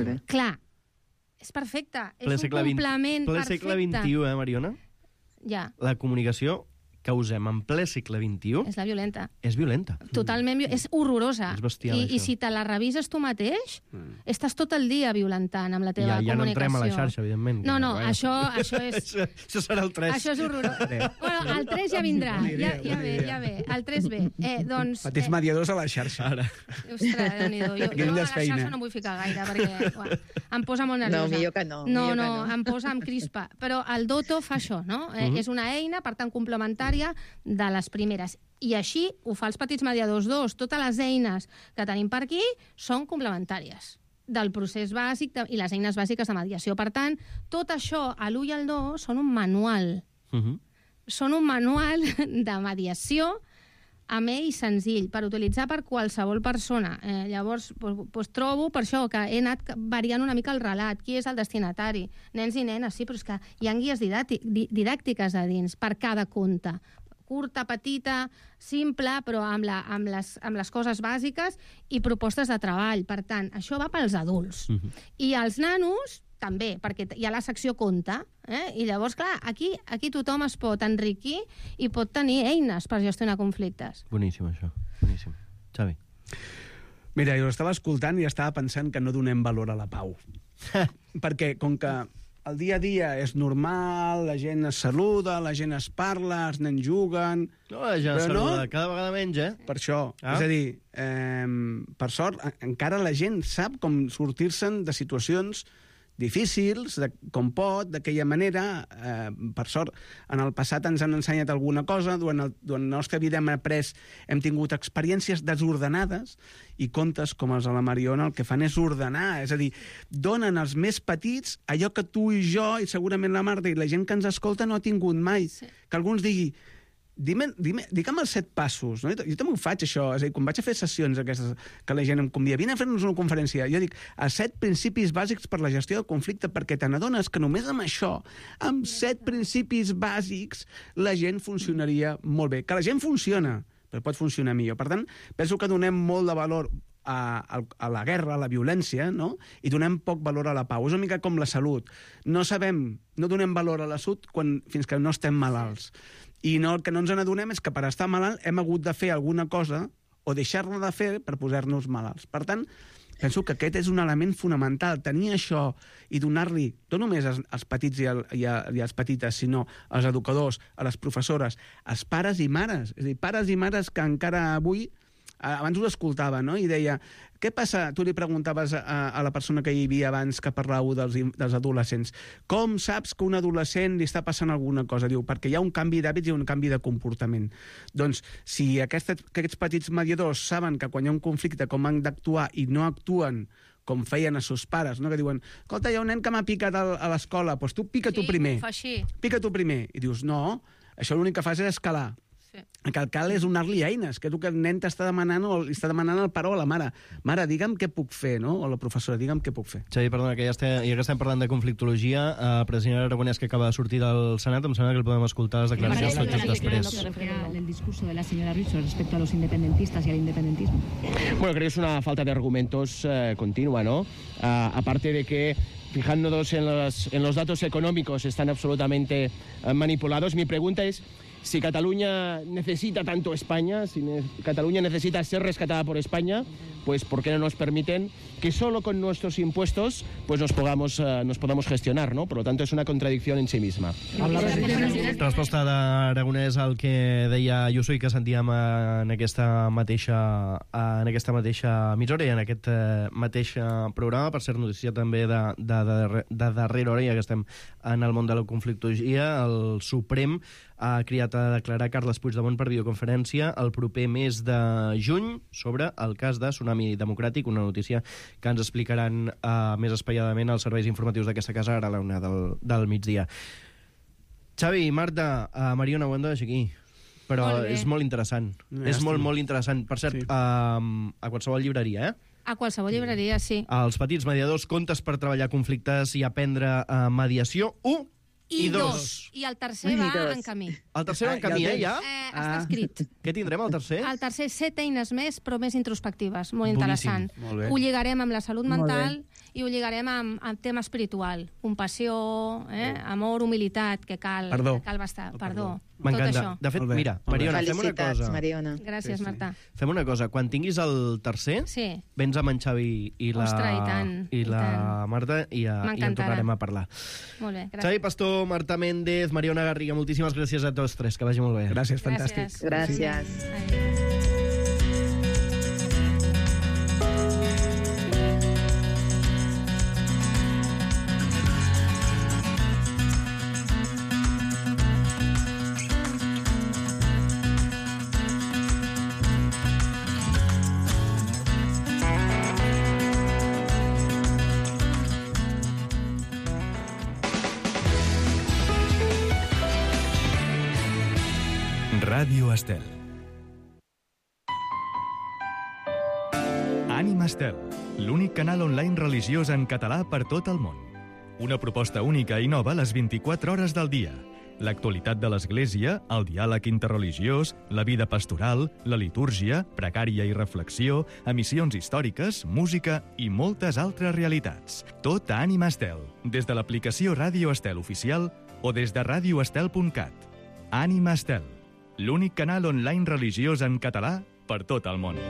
bé. Clar, és perfecte. És un complement perfecte. Ple segle XXI, Mariona? Ja. La comunicació que usem en ple segle XXI... És la violenta. És violenta. Totalment, és horrorosa. És bestial, I si te la revises tu mateix, estàs tot el dia violentant amb la teva comunicació. Ja no entrem a la xarxa, evidentment. No, això és... Això serà el 3. Això és horrorós. Bueno, el 3 ja vindrà. Ja ve. El 3 ve. Doncs, petits mediadors a la xarxa. Ara. Ostres, Déu-n'hi-do. Jo a la xarxa no vull ficar gaire, perquè em posa molt nerviosa. No, millor que no. No, em posa amb crispa. Però el Dotto fa això, no? És una eina, per tant, complementària de les primeres. I així ho fa els petits mediadors 2. Totes les eines que tenim per aquí són complementàries del procés bàsic i les eines bàsiques de mediació. Per tant, tot això, l'1 i el 2, són un manual. Són un manual de mediació amè i senzill, per utilitzar per qualsevol persona. Llavors, trobo per això que he anat variant una mica el relat. Qui és el destinatari? Nens i nenes, sí, però és que hi ha guies didàctiques a dins per cada conte. Curta, petita, simple, però amb les coses bàsiques i propostes de treball. Per tant, això va pels adults. I els nanos també, perquè hi ha la secció conte, i llavors, clar, aquí tothom es pot enriquir i pot tenir eines per gestionar conflictes. Boníssim, això. Boníssim. Xavi. Mira, jo estava escoltant i estava pensant que no donem valor a la pau. Perquè, com que el dia a dia és normal, la gent es saluda, la gent es parla, els nens juguen... No, la gent es saluda cada vegada menys, Per això. És a dir, per sort, encara la gent sap com sortir-se'n de situacions difícils, com pot, d'aquella manera. Per sort, en el passat ens han ensenyat alguna cosa, durant la nostra vida hem tingut experiències desordenades i contes com els de la Mariona el que fan és ordenar, és a dir, donen als més petits allò que tu i jo, i segurament la Marta i la gent que ens escolta no ha tingut mai. Que algú ens digui, digue'm els 7 passos. No? Jo també ho faig, això. És a dir, quan vaig a fer sessions aquestes que la gent em convida, vine a fer-nos una conferència. Jo dic, els 7 principis bàsics per la gestió del conflicte, perquè te n'adones que només amb això, amb 7 principis bàsics, la gent funcionaria molt bé. Que la gent funciona, però pot funcionar millor. Per tant, penso que donem molt de valor a la guerra, a la violència, no? I donem poc valor a la pau. És una mica com la salut. No donem valor a la salut fins que no estem malalts. I el que no ens n'adonem és que per estar malalt hem hagut de fer alguna cosa o deixar-la de fer per posar-nos malalts. Per tant, penso que aquest és un element fonamental, tenir això i donar-li, no només als petits i als petites, sinó als educadors, a les professores, als pares i mares. És a dir, pares i mares que encara avui abans ho escoltava, no? I deia, què passa? Tu li preguntaves a la persona que hi havia abans que parlàveu dels adolescents. Com saps que un adolescent li està passant alguna cosa? Diu, perquè hi ha un canvi d'hàbits i un canvi de comportament. Doncs, si aquests petits mediadors saben que quan hi ha un conflicte com han d'actuar i no actuen com feien a seus pares, no? Que diuen, escolta, hi ha un nen que m'ha picat a l'escola, doncs tu pica tu primer. Sí, ho fa així. Pica tu primer. I dius, no, això l'únic que fas és escalar. El que cal és donar-li eines, que és el que el nen t'està demanant o li està demanant al pare o a la mare. Mare, digue'm què puc fer, no? O la professora, digue'm què puc fer. Xavi, perdona, que ja que estem parlant de conflictologia, president Aragonès, que acaba de sortir del Senat, em sembla que el podem escoltar les declaracions tot just després. El discurso de la señora Rizzo respecto a los independentistas y al independentismo. Bueno, creo que es una falta de argumentos continua, ¿no? Aparte de que fijándonos en los datos económicos están absolutamente manipulados. Mi pregunta es si Cataluña necesita tanto España, si Cataluña necesita ser rescatada por España, pues ¿por qué no nos permiten que solo con nuestros impuestos pues nos podamos gestionar, ¿no? Por lo tanto, es una contradicción en sí misma. Resposta d'Aragonès al que deia Ayuso i que sentíem en aquesta mateixa emissora i en aquest mateix programa, per ser notícia també de darrera hora, ja que estem en el món de la conflictologia. El Suprem ha cridat a declarar Carles Puigdemont per videoconferència el proper mes de juny sobre el cas de Tsunami Democràtic, una notícia que ens explicaran més espaiadament els serveis informatius d'aquesta casa ara a la 1 del migdia. Xavi, Marta, Mariona, ho hem de deixar aquí, però és molt interessant. És molt interessant. Per cert, a qualsevol llibreria, A qualsevol llibreria, sí. Els petits mediadors, contes per treballar conflictes i aprendre mediació, 1 i 2. I el tercer va en camí. El tercer va en camí, ja? Està escrit. Què tindrem, el tercer? El tercer, 7 eines més, però més introspectives. Molt interessant. Molt bé. Ho lligarem amb la salut mental i ho lligarem amb tema espiritual. Compassió, amor, humilitat, que cal bastar. Perdó. M'encanta. De fet, mira, Mariona, fem una cosa. Mariona. Gràcies, Marta. Fem una cosa. Quan tinguis el tercer, vens amb en Xavi i la Marta i en tornarem a parlar. Molt bé, gràcies. Xavi Pastor, Marta Méndez, Mariona Garriga, moltíssimes gràcies a tots tres. Que vagi molt bé. Gràcies, fantàstic. Gràcies. Ràdio Estel. Ànima Estel, l'únic canal online religiós en català per tot el món. Una proposta única i nova les 24 hores del dia. L'actualitat de l'Església, el diàleg interreligiós, la vida pastoral, la litúrgia, precària i reflexió, emissions històriques, música i moltes altres realitats. Tot a Ànima Estel, des de l'aplicació Ràdio Estel oficial o des de radioestel.cat. Ànima Estel, l'únic canal online religiós en català per tot el món.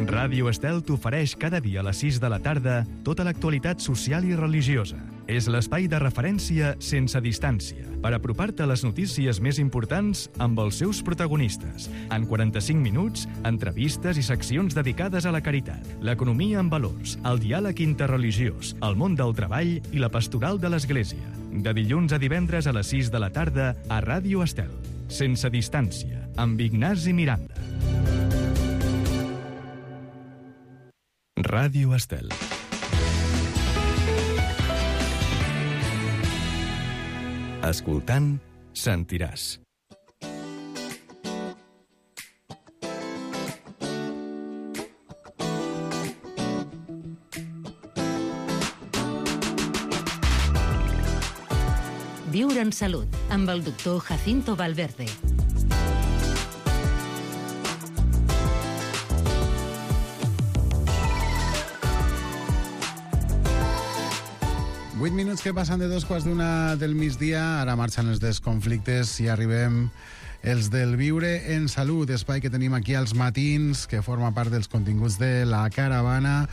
Ràdio Estel t'ofereix cada dia a les 6 de la tarda tota l'actualitat social i religiosa. És l'espai de referència sense distància per apropar-te a les notícies més importants amb els seus protagonistes. En 45 minuts, entrevistes i seccions dedicades a la caritat, l'economia en valors, el diàleg interreligiós, el món del treball i la pastoral de l'Església. De dilluns a divendres a les 6 de la tarda a Ràdio Estel. Sense distància, amb Ignasi Miranda. Ràdio Estel. Escoltant, sentiràs. Viure en salut, amb el doctor Jacinto Valverde. Vuit minuts que passen de 2:15 del migdia, ara marxen els desconflictes i arribem els del Viure en Salut, espai que tenim aquí als matins, que forma part dels continguts de La Caravana.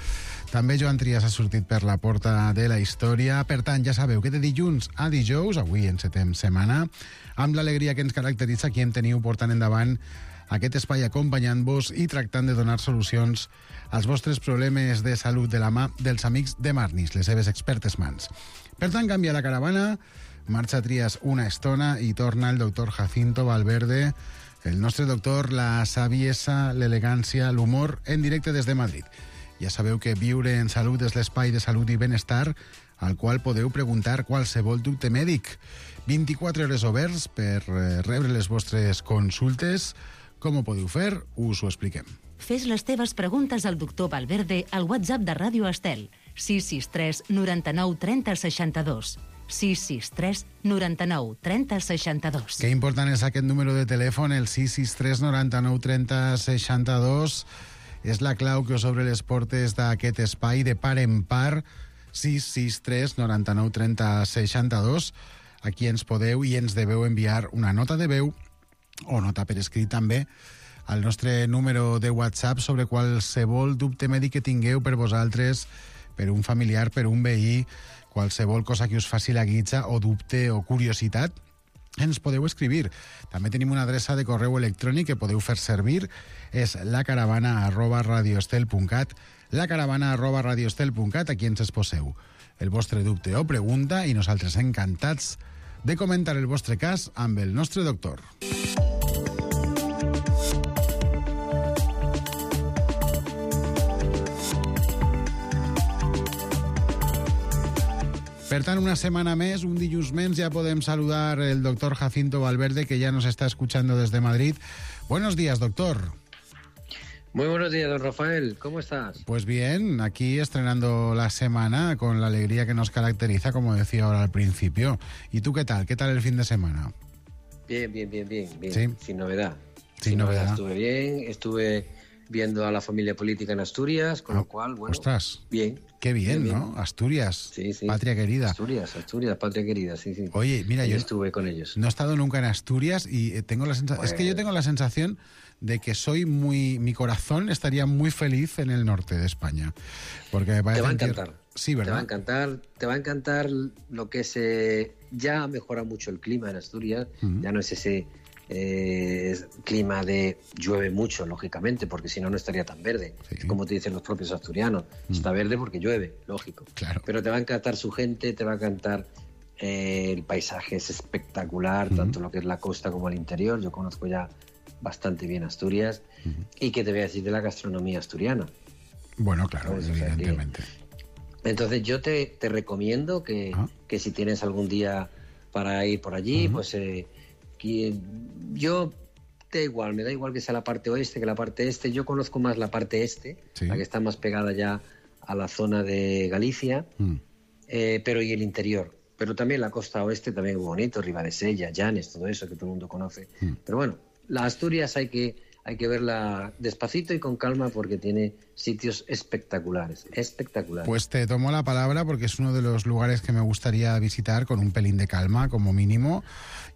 També Joan Trias ha sortit per la porta de la història. Per tant, ja sabeu que de dilluns a dijous, avui encetem setmana, amb l'alegria que ens caracteritza, aquí em teniu portant endavant aquest espai acompanyant-vos i tractant de donar solucions als vostres problemes de salut de la mà dels amics de Marnis, les seves expertes mans. Per tant, canvia la caravana, marxa Trias una estona i torna el doctor Jacinto Valverde, el nostre doctor, la saviesa, l'elegància, l'humor, en directe des de Madrid. Ja sabeu que Viure en Salut és l'espai de salut i benestar al qual podeu preguntar qualsevol dubte mèdic. 24 hores oberts per rebre les vostres consultes. Com ho podeu fer? Us ho expliquem. Fes les teves preguntes al doctor Valverde al WhatsApp de Ràdio Estel, 663 99 30 62. 663 99 30 62. Que important és aquest número de telèfon, el 663 99 30 62. És la clau que us obre les portes d'aquest espai de par en par, 663 99 30 62. Aquí ens podeu i ens deveu enviar una nota de veu o nota per escrit també al nostre número de WhatsApp sobre qualsevol dubte mèdic que tingueu per vosaltres, per un familiar, per un veí, qualsevol cosa que us faci la guitza o dubte o curiositat, ens podeu escribir. També tenim una adreça de correu electrònic que podeu fer servir, és lacaravana@radioestel.cat, lacaravana@radioestel.cat, aquí ens exposeu el vostre dubte o pregunta i nosaltres encantats de comentar el vostre cas amb el nostre doctor. Per tant, una semana més, un dilluns més, ya podemos saludar el doctor Jacinto Valverde, que ya nos está escuchando desde Madrid. Buenos días, doctor. Muy buenos días, don Rafael. ¿Cómo estás? Pues bien, aquí estrenando la semana con la alegría que nos caracteriza, como decía ahora al principio. ¿Y tú qué tal? ¿Qué tal el fin de semana? Bien. ¿Sí? Sin novedad. Sin novedad. Estuve bien, estuve viendo a la familia política en Asturias, con lo cual, bueno, ostras, bien. Qué bien, ¿no? Asturias, sí. patria querida. Asturias, patria querida, sí. Oye, mira, yo estuve con ellos. No he estado nunca en Asturias y tengo la sensación, es que yo tengo la sensación de que mi corazón estaría muy feliz en el norte de España, porque me parece te va a encantar. Sí, ¿verdad? Te va a encantar lo que es, ya mejora mucho el clima en Asturias, ya no es ese clima de llueve mucho, lógicamente, porque si no, no estaría tan verde. Sí. Es como te dicen los propios asturianos, está verde porque llueve, lógico. Claro. Pero te va a encantar su gente, te va a encantar el paisaje, es espectacular, tanto lo que es la costa como el interior. Yo conozco ya bastante bien Asturias. Y que te voy a decir de la gastronomía asturiana. Bueno, claro, evidentemente. Entonces yo te recomiendo que si tienes algún día para ir por allí, pues yo me da igual que sea la parte oeste que la parte este. Yo conozco más la parte este, la que está más pegada ya a la zona de Galicia, pero y el interior. Pero también la costa oeste también es muy bonito, Ribadesella, Llanes, todo eso que todo el mundo conoce. Pero bueno, la Asturias hay que verla despacito y con calma porque tiene sitios espectaculares. Pues te tomo la palabra porque es uno de los lugares que me gustaría visitar con un pelín de calma, como mínimo.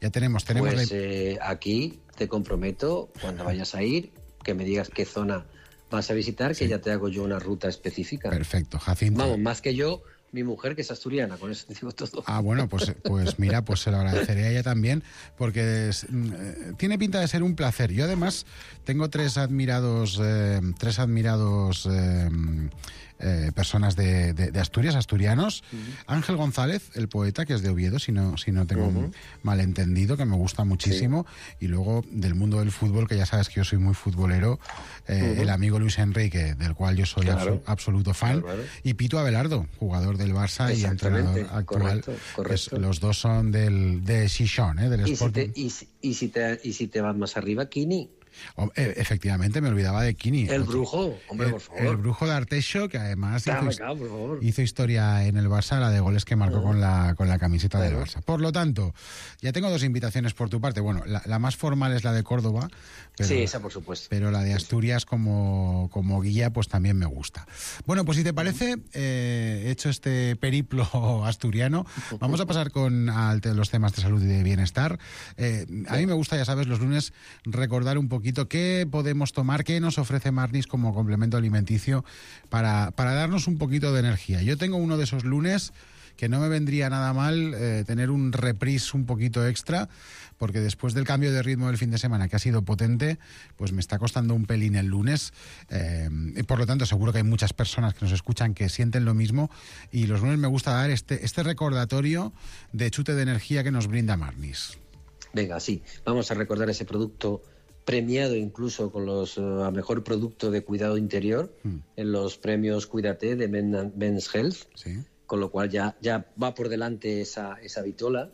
Ya tenemos pues aquí te comprometo, cuando vayas a ir, que me digas qué zona vas a visitar, que ya te hago yo una ruta específica. Perfecto, Jacinto. Vamos, más que yo, mi mujer, que es asturiana, con eso te digo todo. Ah, bueno, pues mira, pues se lo agradeceré a ella también, porque tiene pinta de ser un placer. Yo además tengo tres admirados personas de Asturias, asturianos. Ángel González, el poeta, que es de Oviedo, si no tengo malentendido, que me gusta muchísimo. Y luego del mundo del fútbol, que ya sabes que yo soy muy futbolero, el amigo Luis Enrique, del cual yo soy absoluto fan. Claro. Y Pito Abelardo, jugador del Barça y entrenador actual. Correcto. Los dos son de Xixón, del Sporting. ¿Y si te vas más arriba, Kini? Efectivamente, me olvidaba de Kini. El brujo, hombre, por favor. El brujo de Arteixo, que además hizo historia en el Barça, la de goles que marcó con la camiseta del Barça. Por lo tanto, ya tengo dos invitaciones por tu parte. Bueno, la más formal es la de Córdoba. Pero, sí, esa por supuesto. Pero la de Asturias como guía, pues también me gusta. Bueno, pues si te parece, hecho este periplo asturiano, vamos a pasar con los temas de salud y de bienestar. A mí me gusta, ya sabes, los lunes recordar un poquito poquito qué podemos tomar, qué nos ofrece Marnis como complemento alimenticio para darnos un poquito de energía. Yo tengo uno de esos lunes que no me vendría nada mal tener un reprise un poquito extra, porque después del cambio de ritmo del fin de semana, que ha sido potente, pues me está costando un pelín el lunes. Y por lo tanto, seguro que hay muchas personas que nos escuchan que sienten lo mismo, y los lunes me gusta dar este recordatorio de chute de energía que nos brinda Marnis. Venga, sí, vamos a recordar ese producto premiado incluso con a mejor producto de cuidado interior en los premios Cuídate de Men's Health. Sí. Con lo cual ya va por delante esa vitola,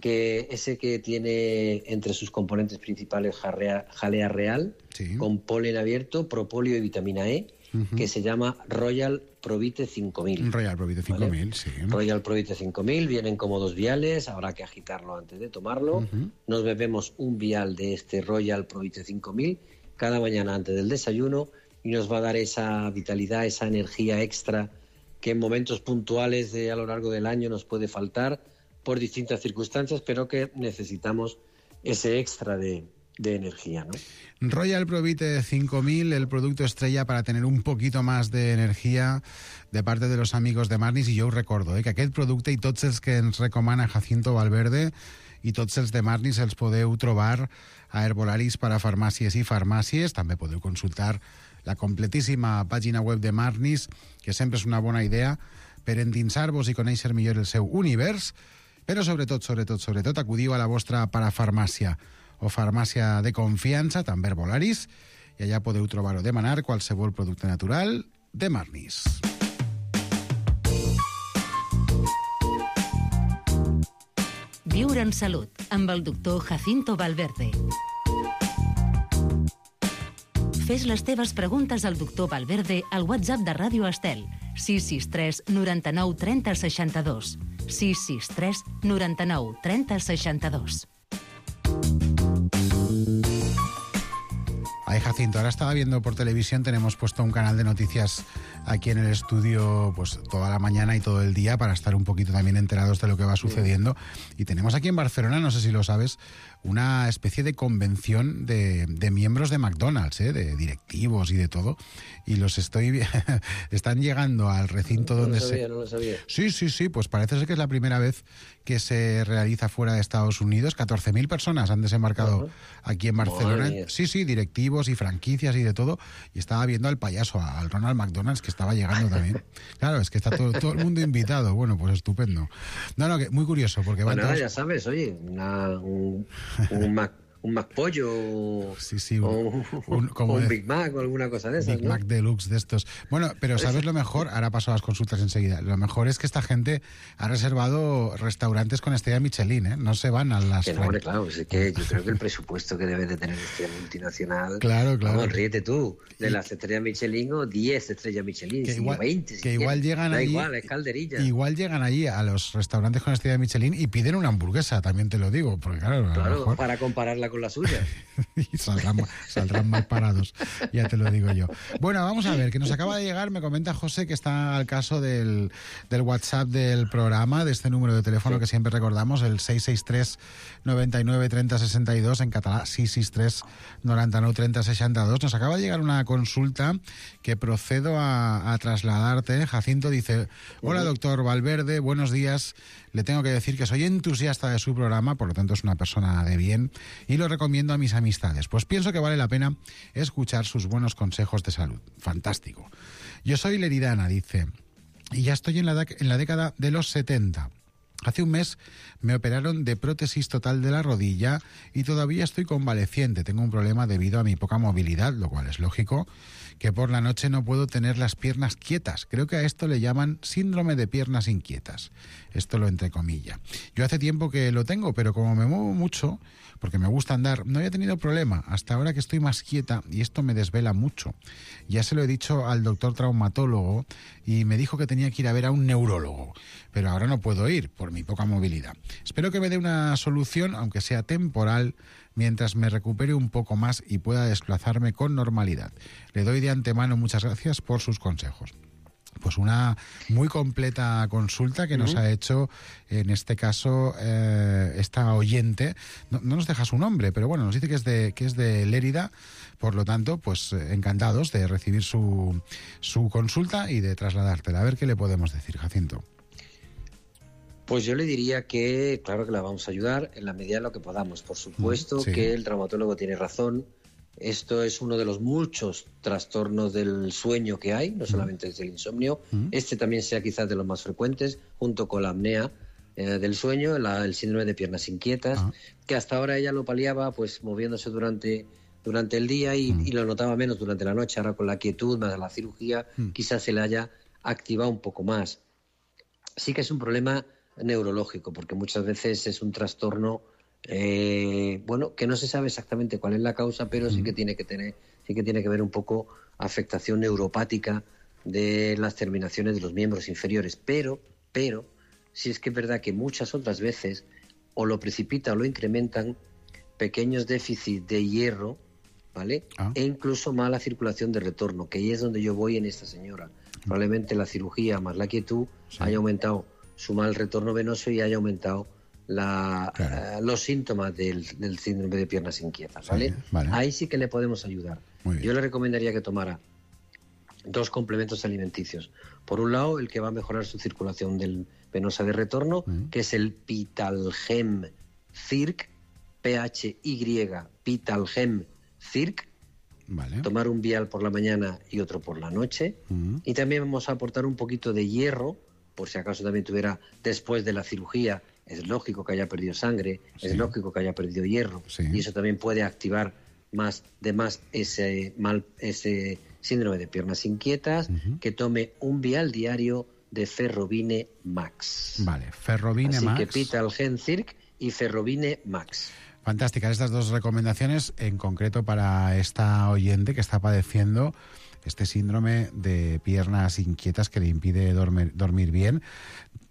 que ese que tiene entre sus componentes principales jalea real, con polen abierto, propóleo y vitamina E, que se llama Royal Provite 5000. Royal Provite 5000, ¿vale? Sí. Royal Provite 5000, vienen como 2 viales, habrá que agitarlo antes de tomarlo. Nos bebemos un vial de este Royal Provite 5000 cada mañana antes del desayuno, y nos va a dar esa vitalidad, esa energía extra que en momentos puntuales a lo largo del año nos puede faltar por distintas circunstancias, pero que necesitamos ese extra de energía, ¿no? Royal Provite 5000, el producto estrella para tener un poquito más de energia de parte de los amigos de Marnis. I jo us recordo que aquest producte i tots els que ens recomana Jacinto Valverde i tots els de Marnis els podeu trobar a Herbolaris per a farmàcies i farmàcies. També podeu consultar la completíssima pàgina web de Marnis, que sempre és una bona idea per endinsar-vos i conèixer millor el seu univers, però sobretot acudiu a la vostra parafarmàcia o farmàcia de confiança, també Herbolaris, i allà podeu trobar o demanar qualsevol producte natural de Marnis. Viure en salut, amb el doctor Jacinto Valverde. Fes les teves preguntes al doctor Valverde al WhatsApp de Ràdio Estel, 663 99 30 62. 663 99 30 62. Ay, Jacinto, ahora estaba viendo por televisión, tenemos puesto un canal de noticias aquí en el estudio pues toda la mañana y todo el día para estar un poquito también enterados de lo que va sucediendo. Y tenemos aquí en Barcelona, no sé si lo sabes, una especie de convención de miembros de McDonald's, de directivos y de todo. Y los están llegando al recinto donde No lo sabía. Sí, pues parece ser que es la primera vez que se realiza fuera de Estados Unidos. 14.000 personas han desembarcado aquí en Barcelona. Sí, directivos y franquicias y de todo. Y estaba viendo al payaso, al Ronald McDonald's, que estaba llegando también. Claro, es que está todo el mundo invitado. Bueno, pues estupendo. No, que muy curioso, porque van todos... ya sabes, oye, un McPollo o un Big Mac o alguna cosa de esas, Big Mac Deluxe de estos. Bueno, pero ¿sabes lo mejor? Ahora paso a las consultas enseguida. Lo mejor es que esta gente ha reservado restaurantes con estrella Michelin, ¿eh? No se van a las... Que no, hombre, claro, es que yo creo que el presupuesto que debe de tener esta multinacional... Claro. Vamos, ríete tú, de las estrellas Michelin o 10 estrellas Michelin, que igual, 20... Que igual llegan allí... Da igual, es calderilla. Igual llegan allí a los restaurantes con estrella Michelin y piden una hamburguesa, también te lo digo, porque claro, mejor... para compararla con la suya. Y saldrán mal parados, ya te lo digo yo. Bueno, vamos a ver, que nos acaba de llegar, me comenta José que está al caso del WhatsApp del programa, de este número de teléfono que siempre recordamos, el 663 99 30 62, en català 663 99 30 62. Nos acaba de llegar una consulta que procedo a trasladarte. Jacinto dice: hola doctor Valverde, buenos días. Le tengo que decir que soy entusiasta de su programa, por lo tanto es una persona de bien, y lo recomiendo a mis amistades, pues pienso que vale la pena escuchar sus buenos consejos de salud. Fantástico. Yo soy leridana, dice, y ya estoy en la década de los 70. Hace un mes me operaron de prótesis total de la rodilla y todavía estoy convaleciente. Tengo un problema debido a mi poca movilidad, lo cual es lógico, que por la noche no puedo tener las piernas quietas. Creo que a esto le llaman síndrome de piernas inquietas. Esto lo entrecomilla. Yo hace tiempo que lo tengo, pero como me muevo mucho, porque me gusta andar, no había tenido problema. Hasta ahora que estoy más quieta y esto me desvela mucho. Ya se lo he dicho al doctor traumatólogo y me dijo que tenía que ir a ver a un neurólogo. Pero ahora no puedo ir por mi poca movilidad. Espero que me dé una solución, aunque sea temporal, mientras me recupere un poco más y pueda desplazarme con normalidad. Le doy de antemano muchas gracias por sus consejos. pues una muy completa consulta que nos ha hecho, en este caso, esta oyente. No nos deja su nombre, pero bueno, nos dice que es de Lérida. Por lo tanto, pues encantados de recibir su consulta y de trasladártela. A ver qué le podemos decir, Jacinto. Pues yo le diría que, claro que la vamos a ayudar en la medida de lo que podamos. Por supuesto que el traumatólogo tiene razón. Esto es uno de los muchos trastornos del sueño que hay, no solamente es el insomnio. Este también sea quizás de los más frecuentes, junto con la apnea del sueño, el síndrome de piernas inquietas, que hasta ahora ella lo paliaba pues moviéndose durante el día y lo notaba menos durante la noche. Ahora con la quietud más la cirugía quizás se le haya activado un poco más. Sí que es un problema neurológico, porque muchas veces es un trastorno que no se sabe exactamente cuál es la causa, pero sí que tiene que ver un poco afectación neuropática de las terminaciones de los miembros inferiores, pero sí es que es verdad que muchas otras veces o lo precipita o lo incrementan pequeños déficits de hierro, ¿vale? E incluso mala circulación de retorno, que ahí es donde yo voy en esta señora. Probablemente la cirugía más la quietud haya aumentado su mal retorno venoso y haya aumentado los síntomas del síndrome de piernas inquietas, ¿vale? Ahí sí que le podemos ayudar. Yo le recomendaría que tomara 2 complementos alimenticios. Por un lado, el que va a mejorar su circulación venosa de retorno, que es el Pitalgem Circ, PHY, Pitalgem Circ. Tomar un vial por la mañana y otro por la noche. Y también vamos a aportar un poquito de hierro, por si acaso también tuviera después de la cirugía. Es lógico que haya perdido sangre, es lógico que haya perdido hierro, y eso también puede activar más ese síndrome de piernas inquietas. Que tome un vial diario de Ferrovine Max. Vale, Ferrovine Max. Así que Pitalgem Circ y Ferrovine Max. Fantásticas estas 2 recomendaciones, en concreto para esta oyente que está padeciendo este síndrome de piernas inquietas que le impide dormir bien,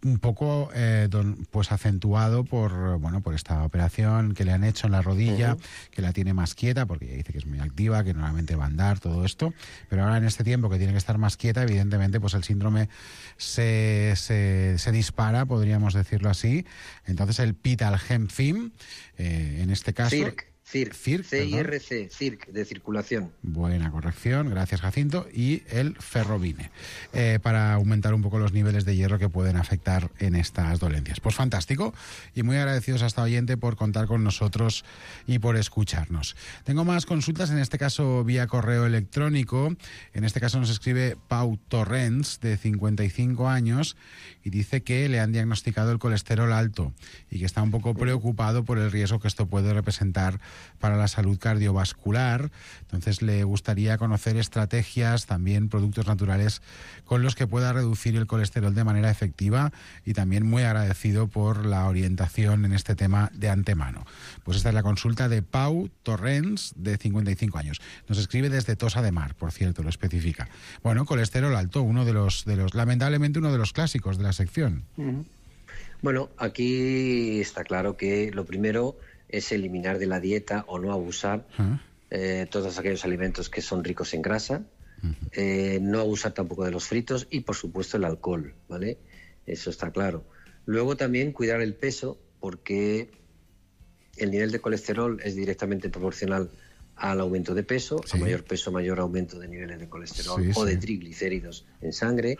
un poco pues acentuado por esta operación que le han hecho en la rodilla, que la tiene más quieta, porque ella dice que es muy activa, que normalmente va a andar, todo esto, pero ahora en este tiempo que tiene que estar más quieta, evidentemente pues el síndrome se dispara, podríamos decirlo así. Entonces el Pitalgem Film, en este caso... CIRC, C-I-R-C, CIRC, de circulación. Buena corrección, gracias Jacinto. Y el Ferrovine, para aumentar un poco los niveles de hierro que pueden afectar en estas dolencias. Pues fantástico, y muy agradecidos a esta oyente por contar con nosotros y por escucharnos. Tengo más consultas, en este caso vía correo electrónico. En este caso nos escribe Pau Torrents, de 55 años, y dice que le han diagnosticado el colesterol alto y que está un poco preocupado por el riesgo que esto puede representar para la salud cardiovascular. Entonces le gustaría conocer estrategias, también productos naturales con los que pueda reducir el colesterol de manera efectiva, y también muy agradecido por la orientación en este tema de antemano. Pues esta es la consulta de Pau Torrents, de 55 años. Nos escribe desde Tossa de Mar, por cierto, lo especifica. Bueno, colesterol alto, uno de los lamentablemente uno de los clásicos de la sección. Bueno, aquí está claro que lo primero es eliminar de la dieta o no abusar todos aquellos alimentos que son ricos en grasa, no abusar tampoco de los fritos y, por supuesto, el alcohol, ¿vale? Eso está claro. Luego también cuidar el peso, porque el nivel de colesterol es directamente proporcional al aumento de peso, a mayor peso, mayor aumento de niveles de colesterol o de triglicéridos en sangre,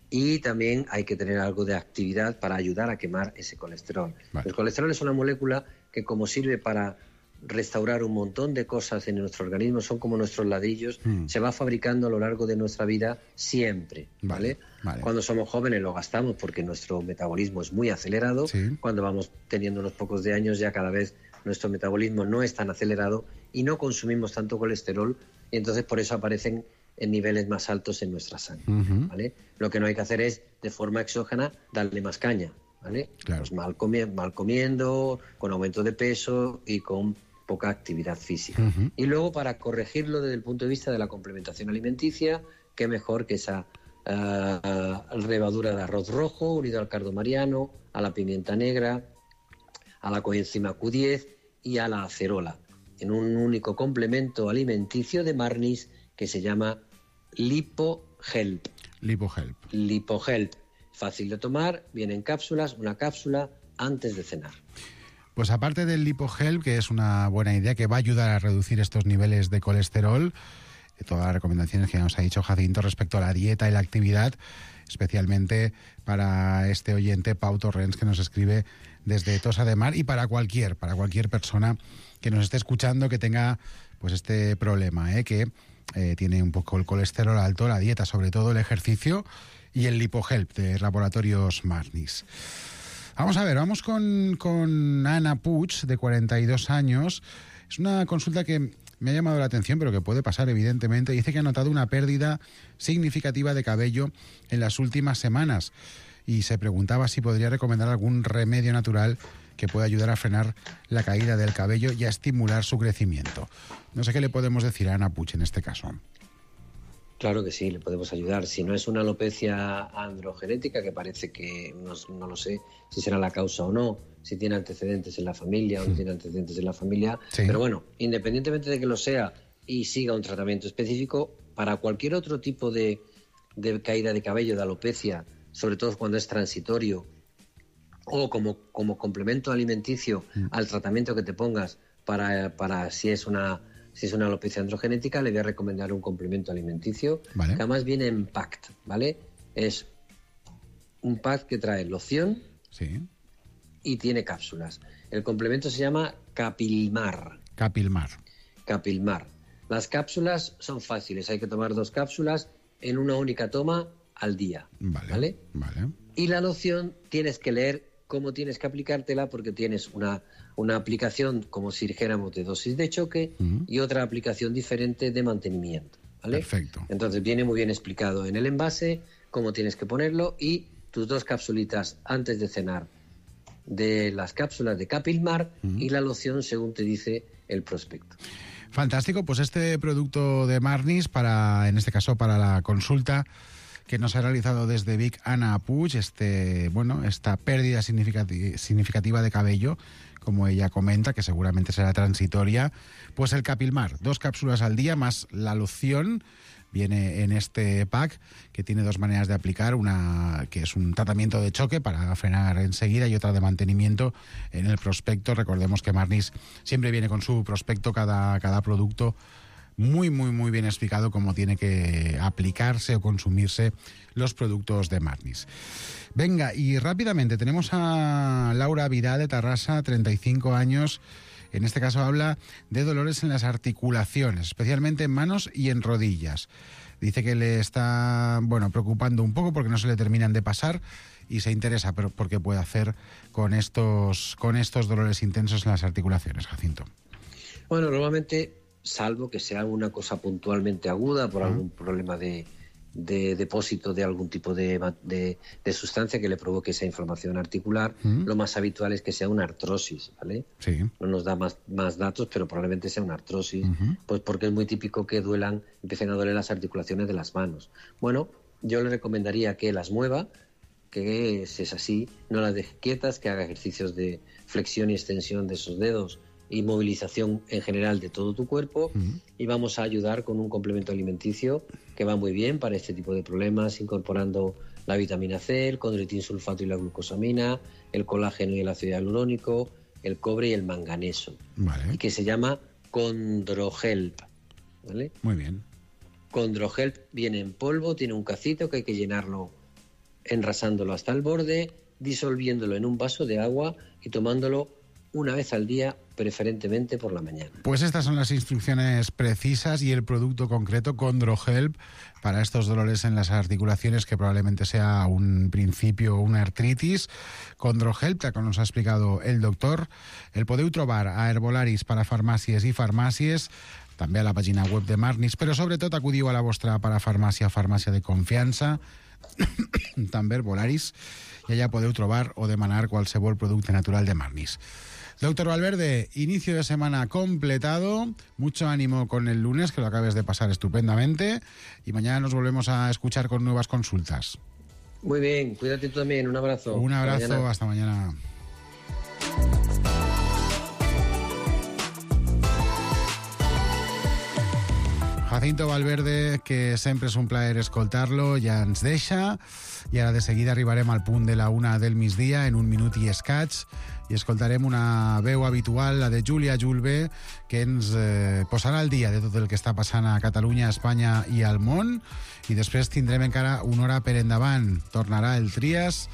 y también hay que tener algo de actividad para ayudar a quemar ese colesterol. El colesterol es una molécula que, como sirve para restaurar un montón de cosas en nuestro organismo, son como nuestros ladrillos, se va fabricando a lo largo de nuestra vida siempre, ¿vale? Cuando somos jóvenes lo gastamos porque nuestro metabolismo es muy acelerado, cuando vamos teniendo unos pocos de años ya cada vez nuestro metabolismo no es tan acelerado y no consumimos tanto colesterol, y entonces por eso aparecen en niveles más altos en nuestra sangre, ¿vale? Lo que no hay que hacer es, de forma exógena, darle más caña, ¿vale? Pues mal comiendo, con aumento de peso y con poca actividad física. Y luego, para corregirlo desde el punto de vista de la complementación alimenticia, qué mejor que esa levadura de arroz rojo unido al cardo mariano, a la pimienta negra, a la coenzima Q10 y a la acerola, en un único complemento alimenticio de Marnis que se llama Lipo LipoHelp. LipoHelp. Fácil de tomar, viene en cápsulas, una cápsula antes de cenar. Pues aparte del LipoHelp, que es una buena idea, que va a ayudar a reducir estos niveles de colesterol, todas las recomendaciones que nos ha dicho Jacinto respecto a la dieta y la actividad, especialmente para este oyente Pau Torrents, que nos escribe desde Tossa de Mar, y para cualquier persona que nos esté escuchando que tenga pues este problema, que tiene un poco el colesterol alto, la dieta, sobre todo el ejercicio, y el LipoHelp de Laboratorios Marnis. Vamos a ver, vamos con Ana Puig, de 42 años. Es una consulta que me ha llamado la atención, pero que puede pasar, evidentemente. Dice que ha notado una pérdida significativa de cabello en las últimas semanas y se preguntaba si podría recomendar algún remedio natural que pueda ayudar a frenar la caída del cabello y a estimular su crecimiento. No sé qué le podemos decir a Ana Puig en este caso. Claro que sí, le podemos ayudar. Si no es una alopecia androgenética, que parece que no lo sé si será la causa o no, si tiene antecedentes en la familia o no tiene antecedentes en la familia. Sí. Pero bueno, independientemente de que lo sea y siga un tratamiento específico, para cualquier otro tipo de caída de cabello, de alopecia, sobre todo cuando es transitorio, o como complemento alimenticio al tratamiento que te pongas para si es una alopecia androgenética, le voy a recomendar un complemento alimenticio, que además viene en pack, ¿vale? Es un pack que trae loción y tiene cápsulas. El complemento se llama Capilmar. Las cápsulas son fáciles, hay que tomar 2 cápsulas en una única toma al día, ¿vale? Y la loción tienes que leer cómo tienes que aplicártela, porque tienes una aplicación, como si dijéramos, de dosis de choque y otra aplicación diferente de mantenimiento, ¿vale? Perfecto. Entonces viene muy bien explicado en el envase cómo tienes que ponerlo, y tus 2 capsulitas antes de cenar de las cápsulas de Capilmar y la loción según te dice el prospecto. Fantástico, pues este producto de Marnis, en este caso para la consulta que nos ha realizado desde Vic Ana Puig, esta pérdida significativa de cabello, como ella comenta, que seguramente será transitoria, pues el Capilmar, 2 cápsulas al día más la loción, viene en este pack, que tiene 2 maneras de aplicar, una que es un tratamiento de choque para frenar enseguida y otra de mantenimiento en el prospecto. Recordemos que Marnis siempre viene con su prospecto, cada producto muy, muy, muy bien explicado cómo tiene que aplicarse o consumirse los productos de Marnis. Venga, y rápidamente tenemos a Laura Vidal de Tarrasa, 35 años. En este caso habla de dolores en las articulaciones, especialmente en manos y en rodillas. Dice que le está preocupando un poco porque no se le terminan de pasar y se interesa por qué puede hacer con estos dolores intensos en las articulaciones, Jacinto. Bueno, normalmente, salvo que sea una cosa puntualmente aguda por algún problema de depósito de algún tipo de sustancia que le provoque esa inflamación articular, lo más habitual es que sea una artrosis, ¿vale? Sí. No nos da más datos, pero probablemente sea una artrosis, pues porque es muy típico que empiecen a doler las articulaciones de las manos. Bueno, yo le recomendaría que las mueva, que si es así, no las deje quietas, que haga ejercicios de flexión y extensión de esos dedos y movilización en general de todo tu cuerpo, y vamos a ayudar con un complemento alimenticio que va muy bien para este tipo de problemas, incorporando la vitamina C, el condroitin sulfato y la glucosamina, el colágeno y el ácido hialurónico, el cobre y el manganeso, y que se llama ChondroHelp, ¿vale? Muy bien. ChondroHelp viene en polvo, tiene un cacito que hay que llenarlo enrasándolo hasta el borde, disolviéndolo en un vaso de agua y tomándolo una vez al día, preferentemente por la mañana. Pues estas son las instrucciones precisas y el producto concreto, ChondroHelp, para estos dolores en las articulaciones, que probablemente sea un principio una artritis. ChondroHelp, que nos ha explicado el doctor, el podeu trobar a Herbolaris parafarmàcies i farmàcies, també a la pàgina web de Marnis, però sobretot acudiu a la vostra parafarmàcia, farmàcia de confiança, també Herbolaris, i allà podeu trobar o demanar qualsevol producte natural de Marnis. Doctor Valverde, inicio de semana completado, mucho ánimo con el lunes, que lo acabes de pasar estupendamente, y mañana nos volvemos a escuchar con nuevas consultas. Muy bien, cuídate tú también, un abrazo. Un abrazo, hasta mañana. Jacinto Valverde, que sempre és un plaer escoltar-lo, ja ens deixa, i ara de seguida arribarem al punt de la 1 del migdia, en 1 minut i escaig, i escoltarem una veu habitual, la de Júlia Julve, que ens posarà al dia de tot el que està passant a Catalunya, a Espanya i al món, i després tindrem encara una hora per endavant. Tornarà el Trias,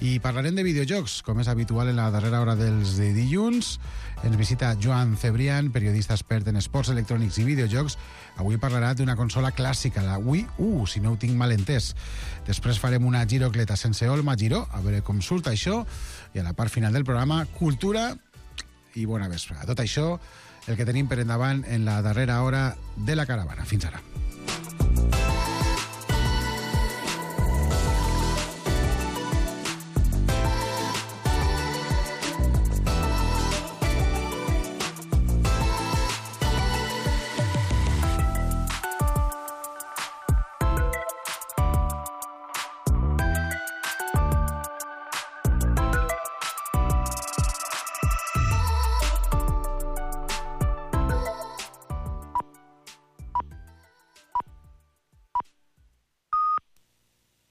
i parlarem de videojocs, com és habitual en la darrera hora dels dilluns. Ens visita Joan Cebrián, periodista expert en esports electrònics i videojocs. Avui parlarà d'una consola clàssica, la Wii U, si no ho tinc mal entès. Després farem una girocleta sense Olma Giró, a veure com surt això, i a la part final del programa, cultura i bona vesprada. Tot això, el que tenim per endavant en la darrera hora de la caravana. Fins ara.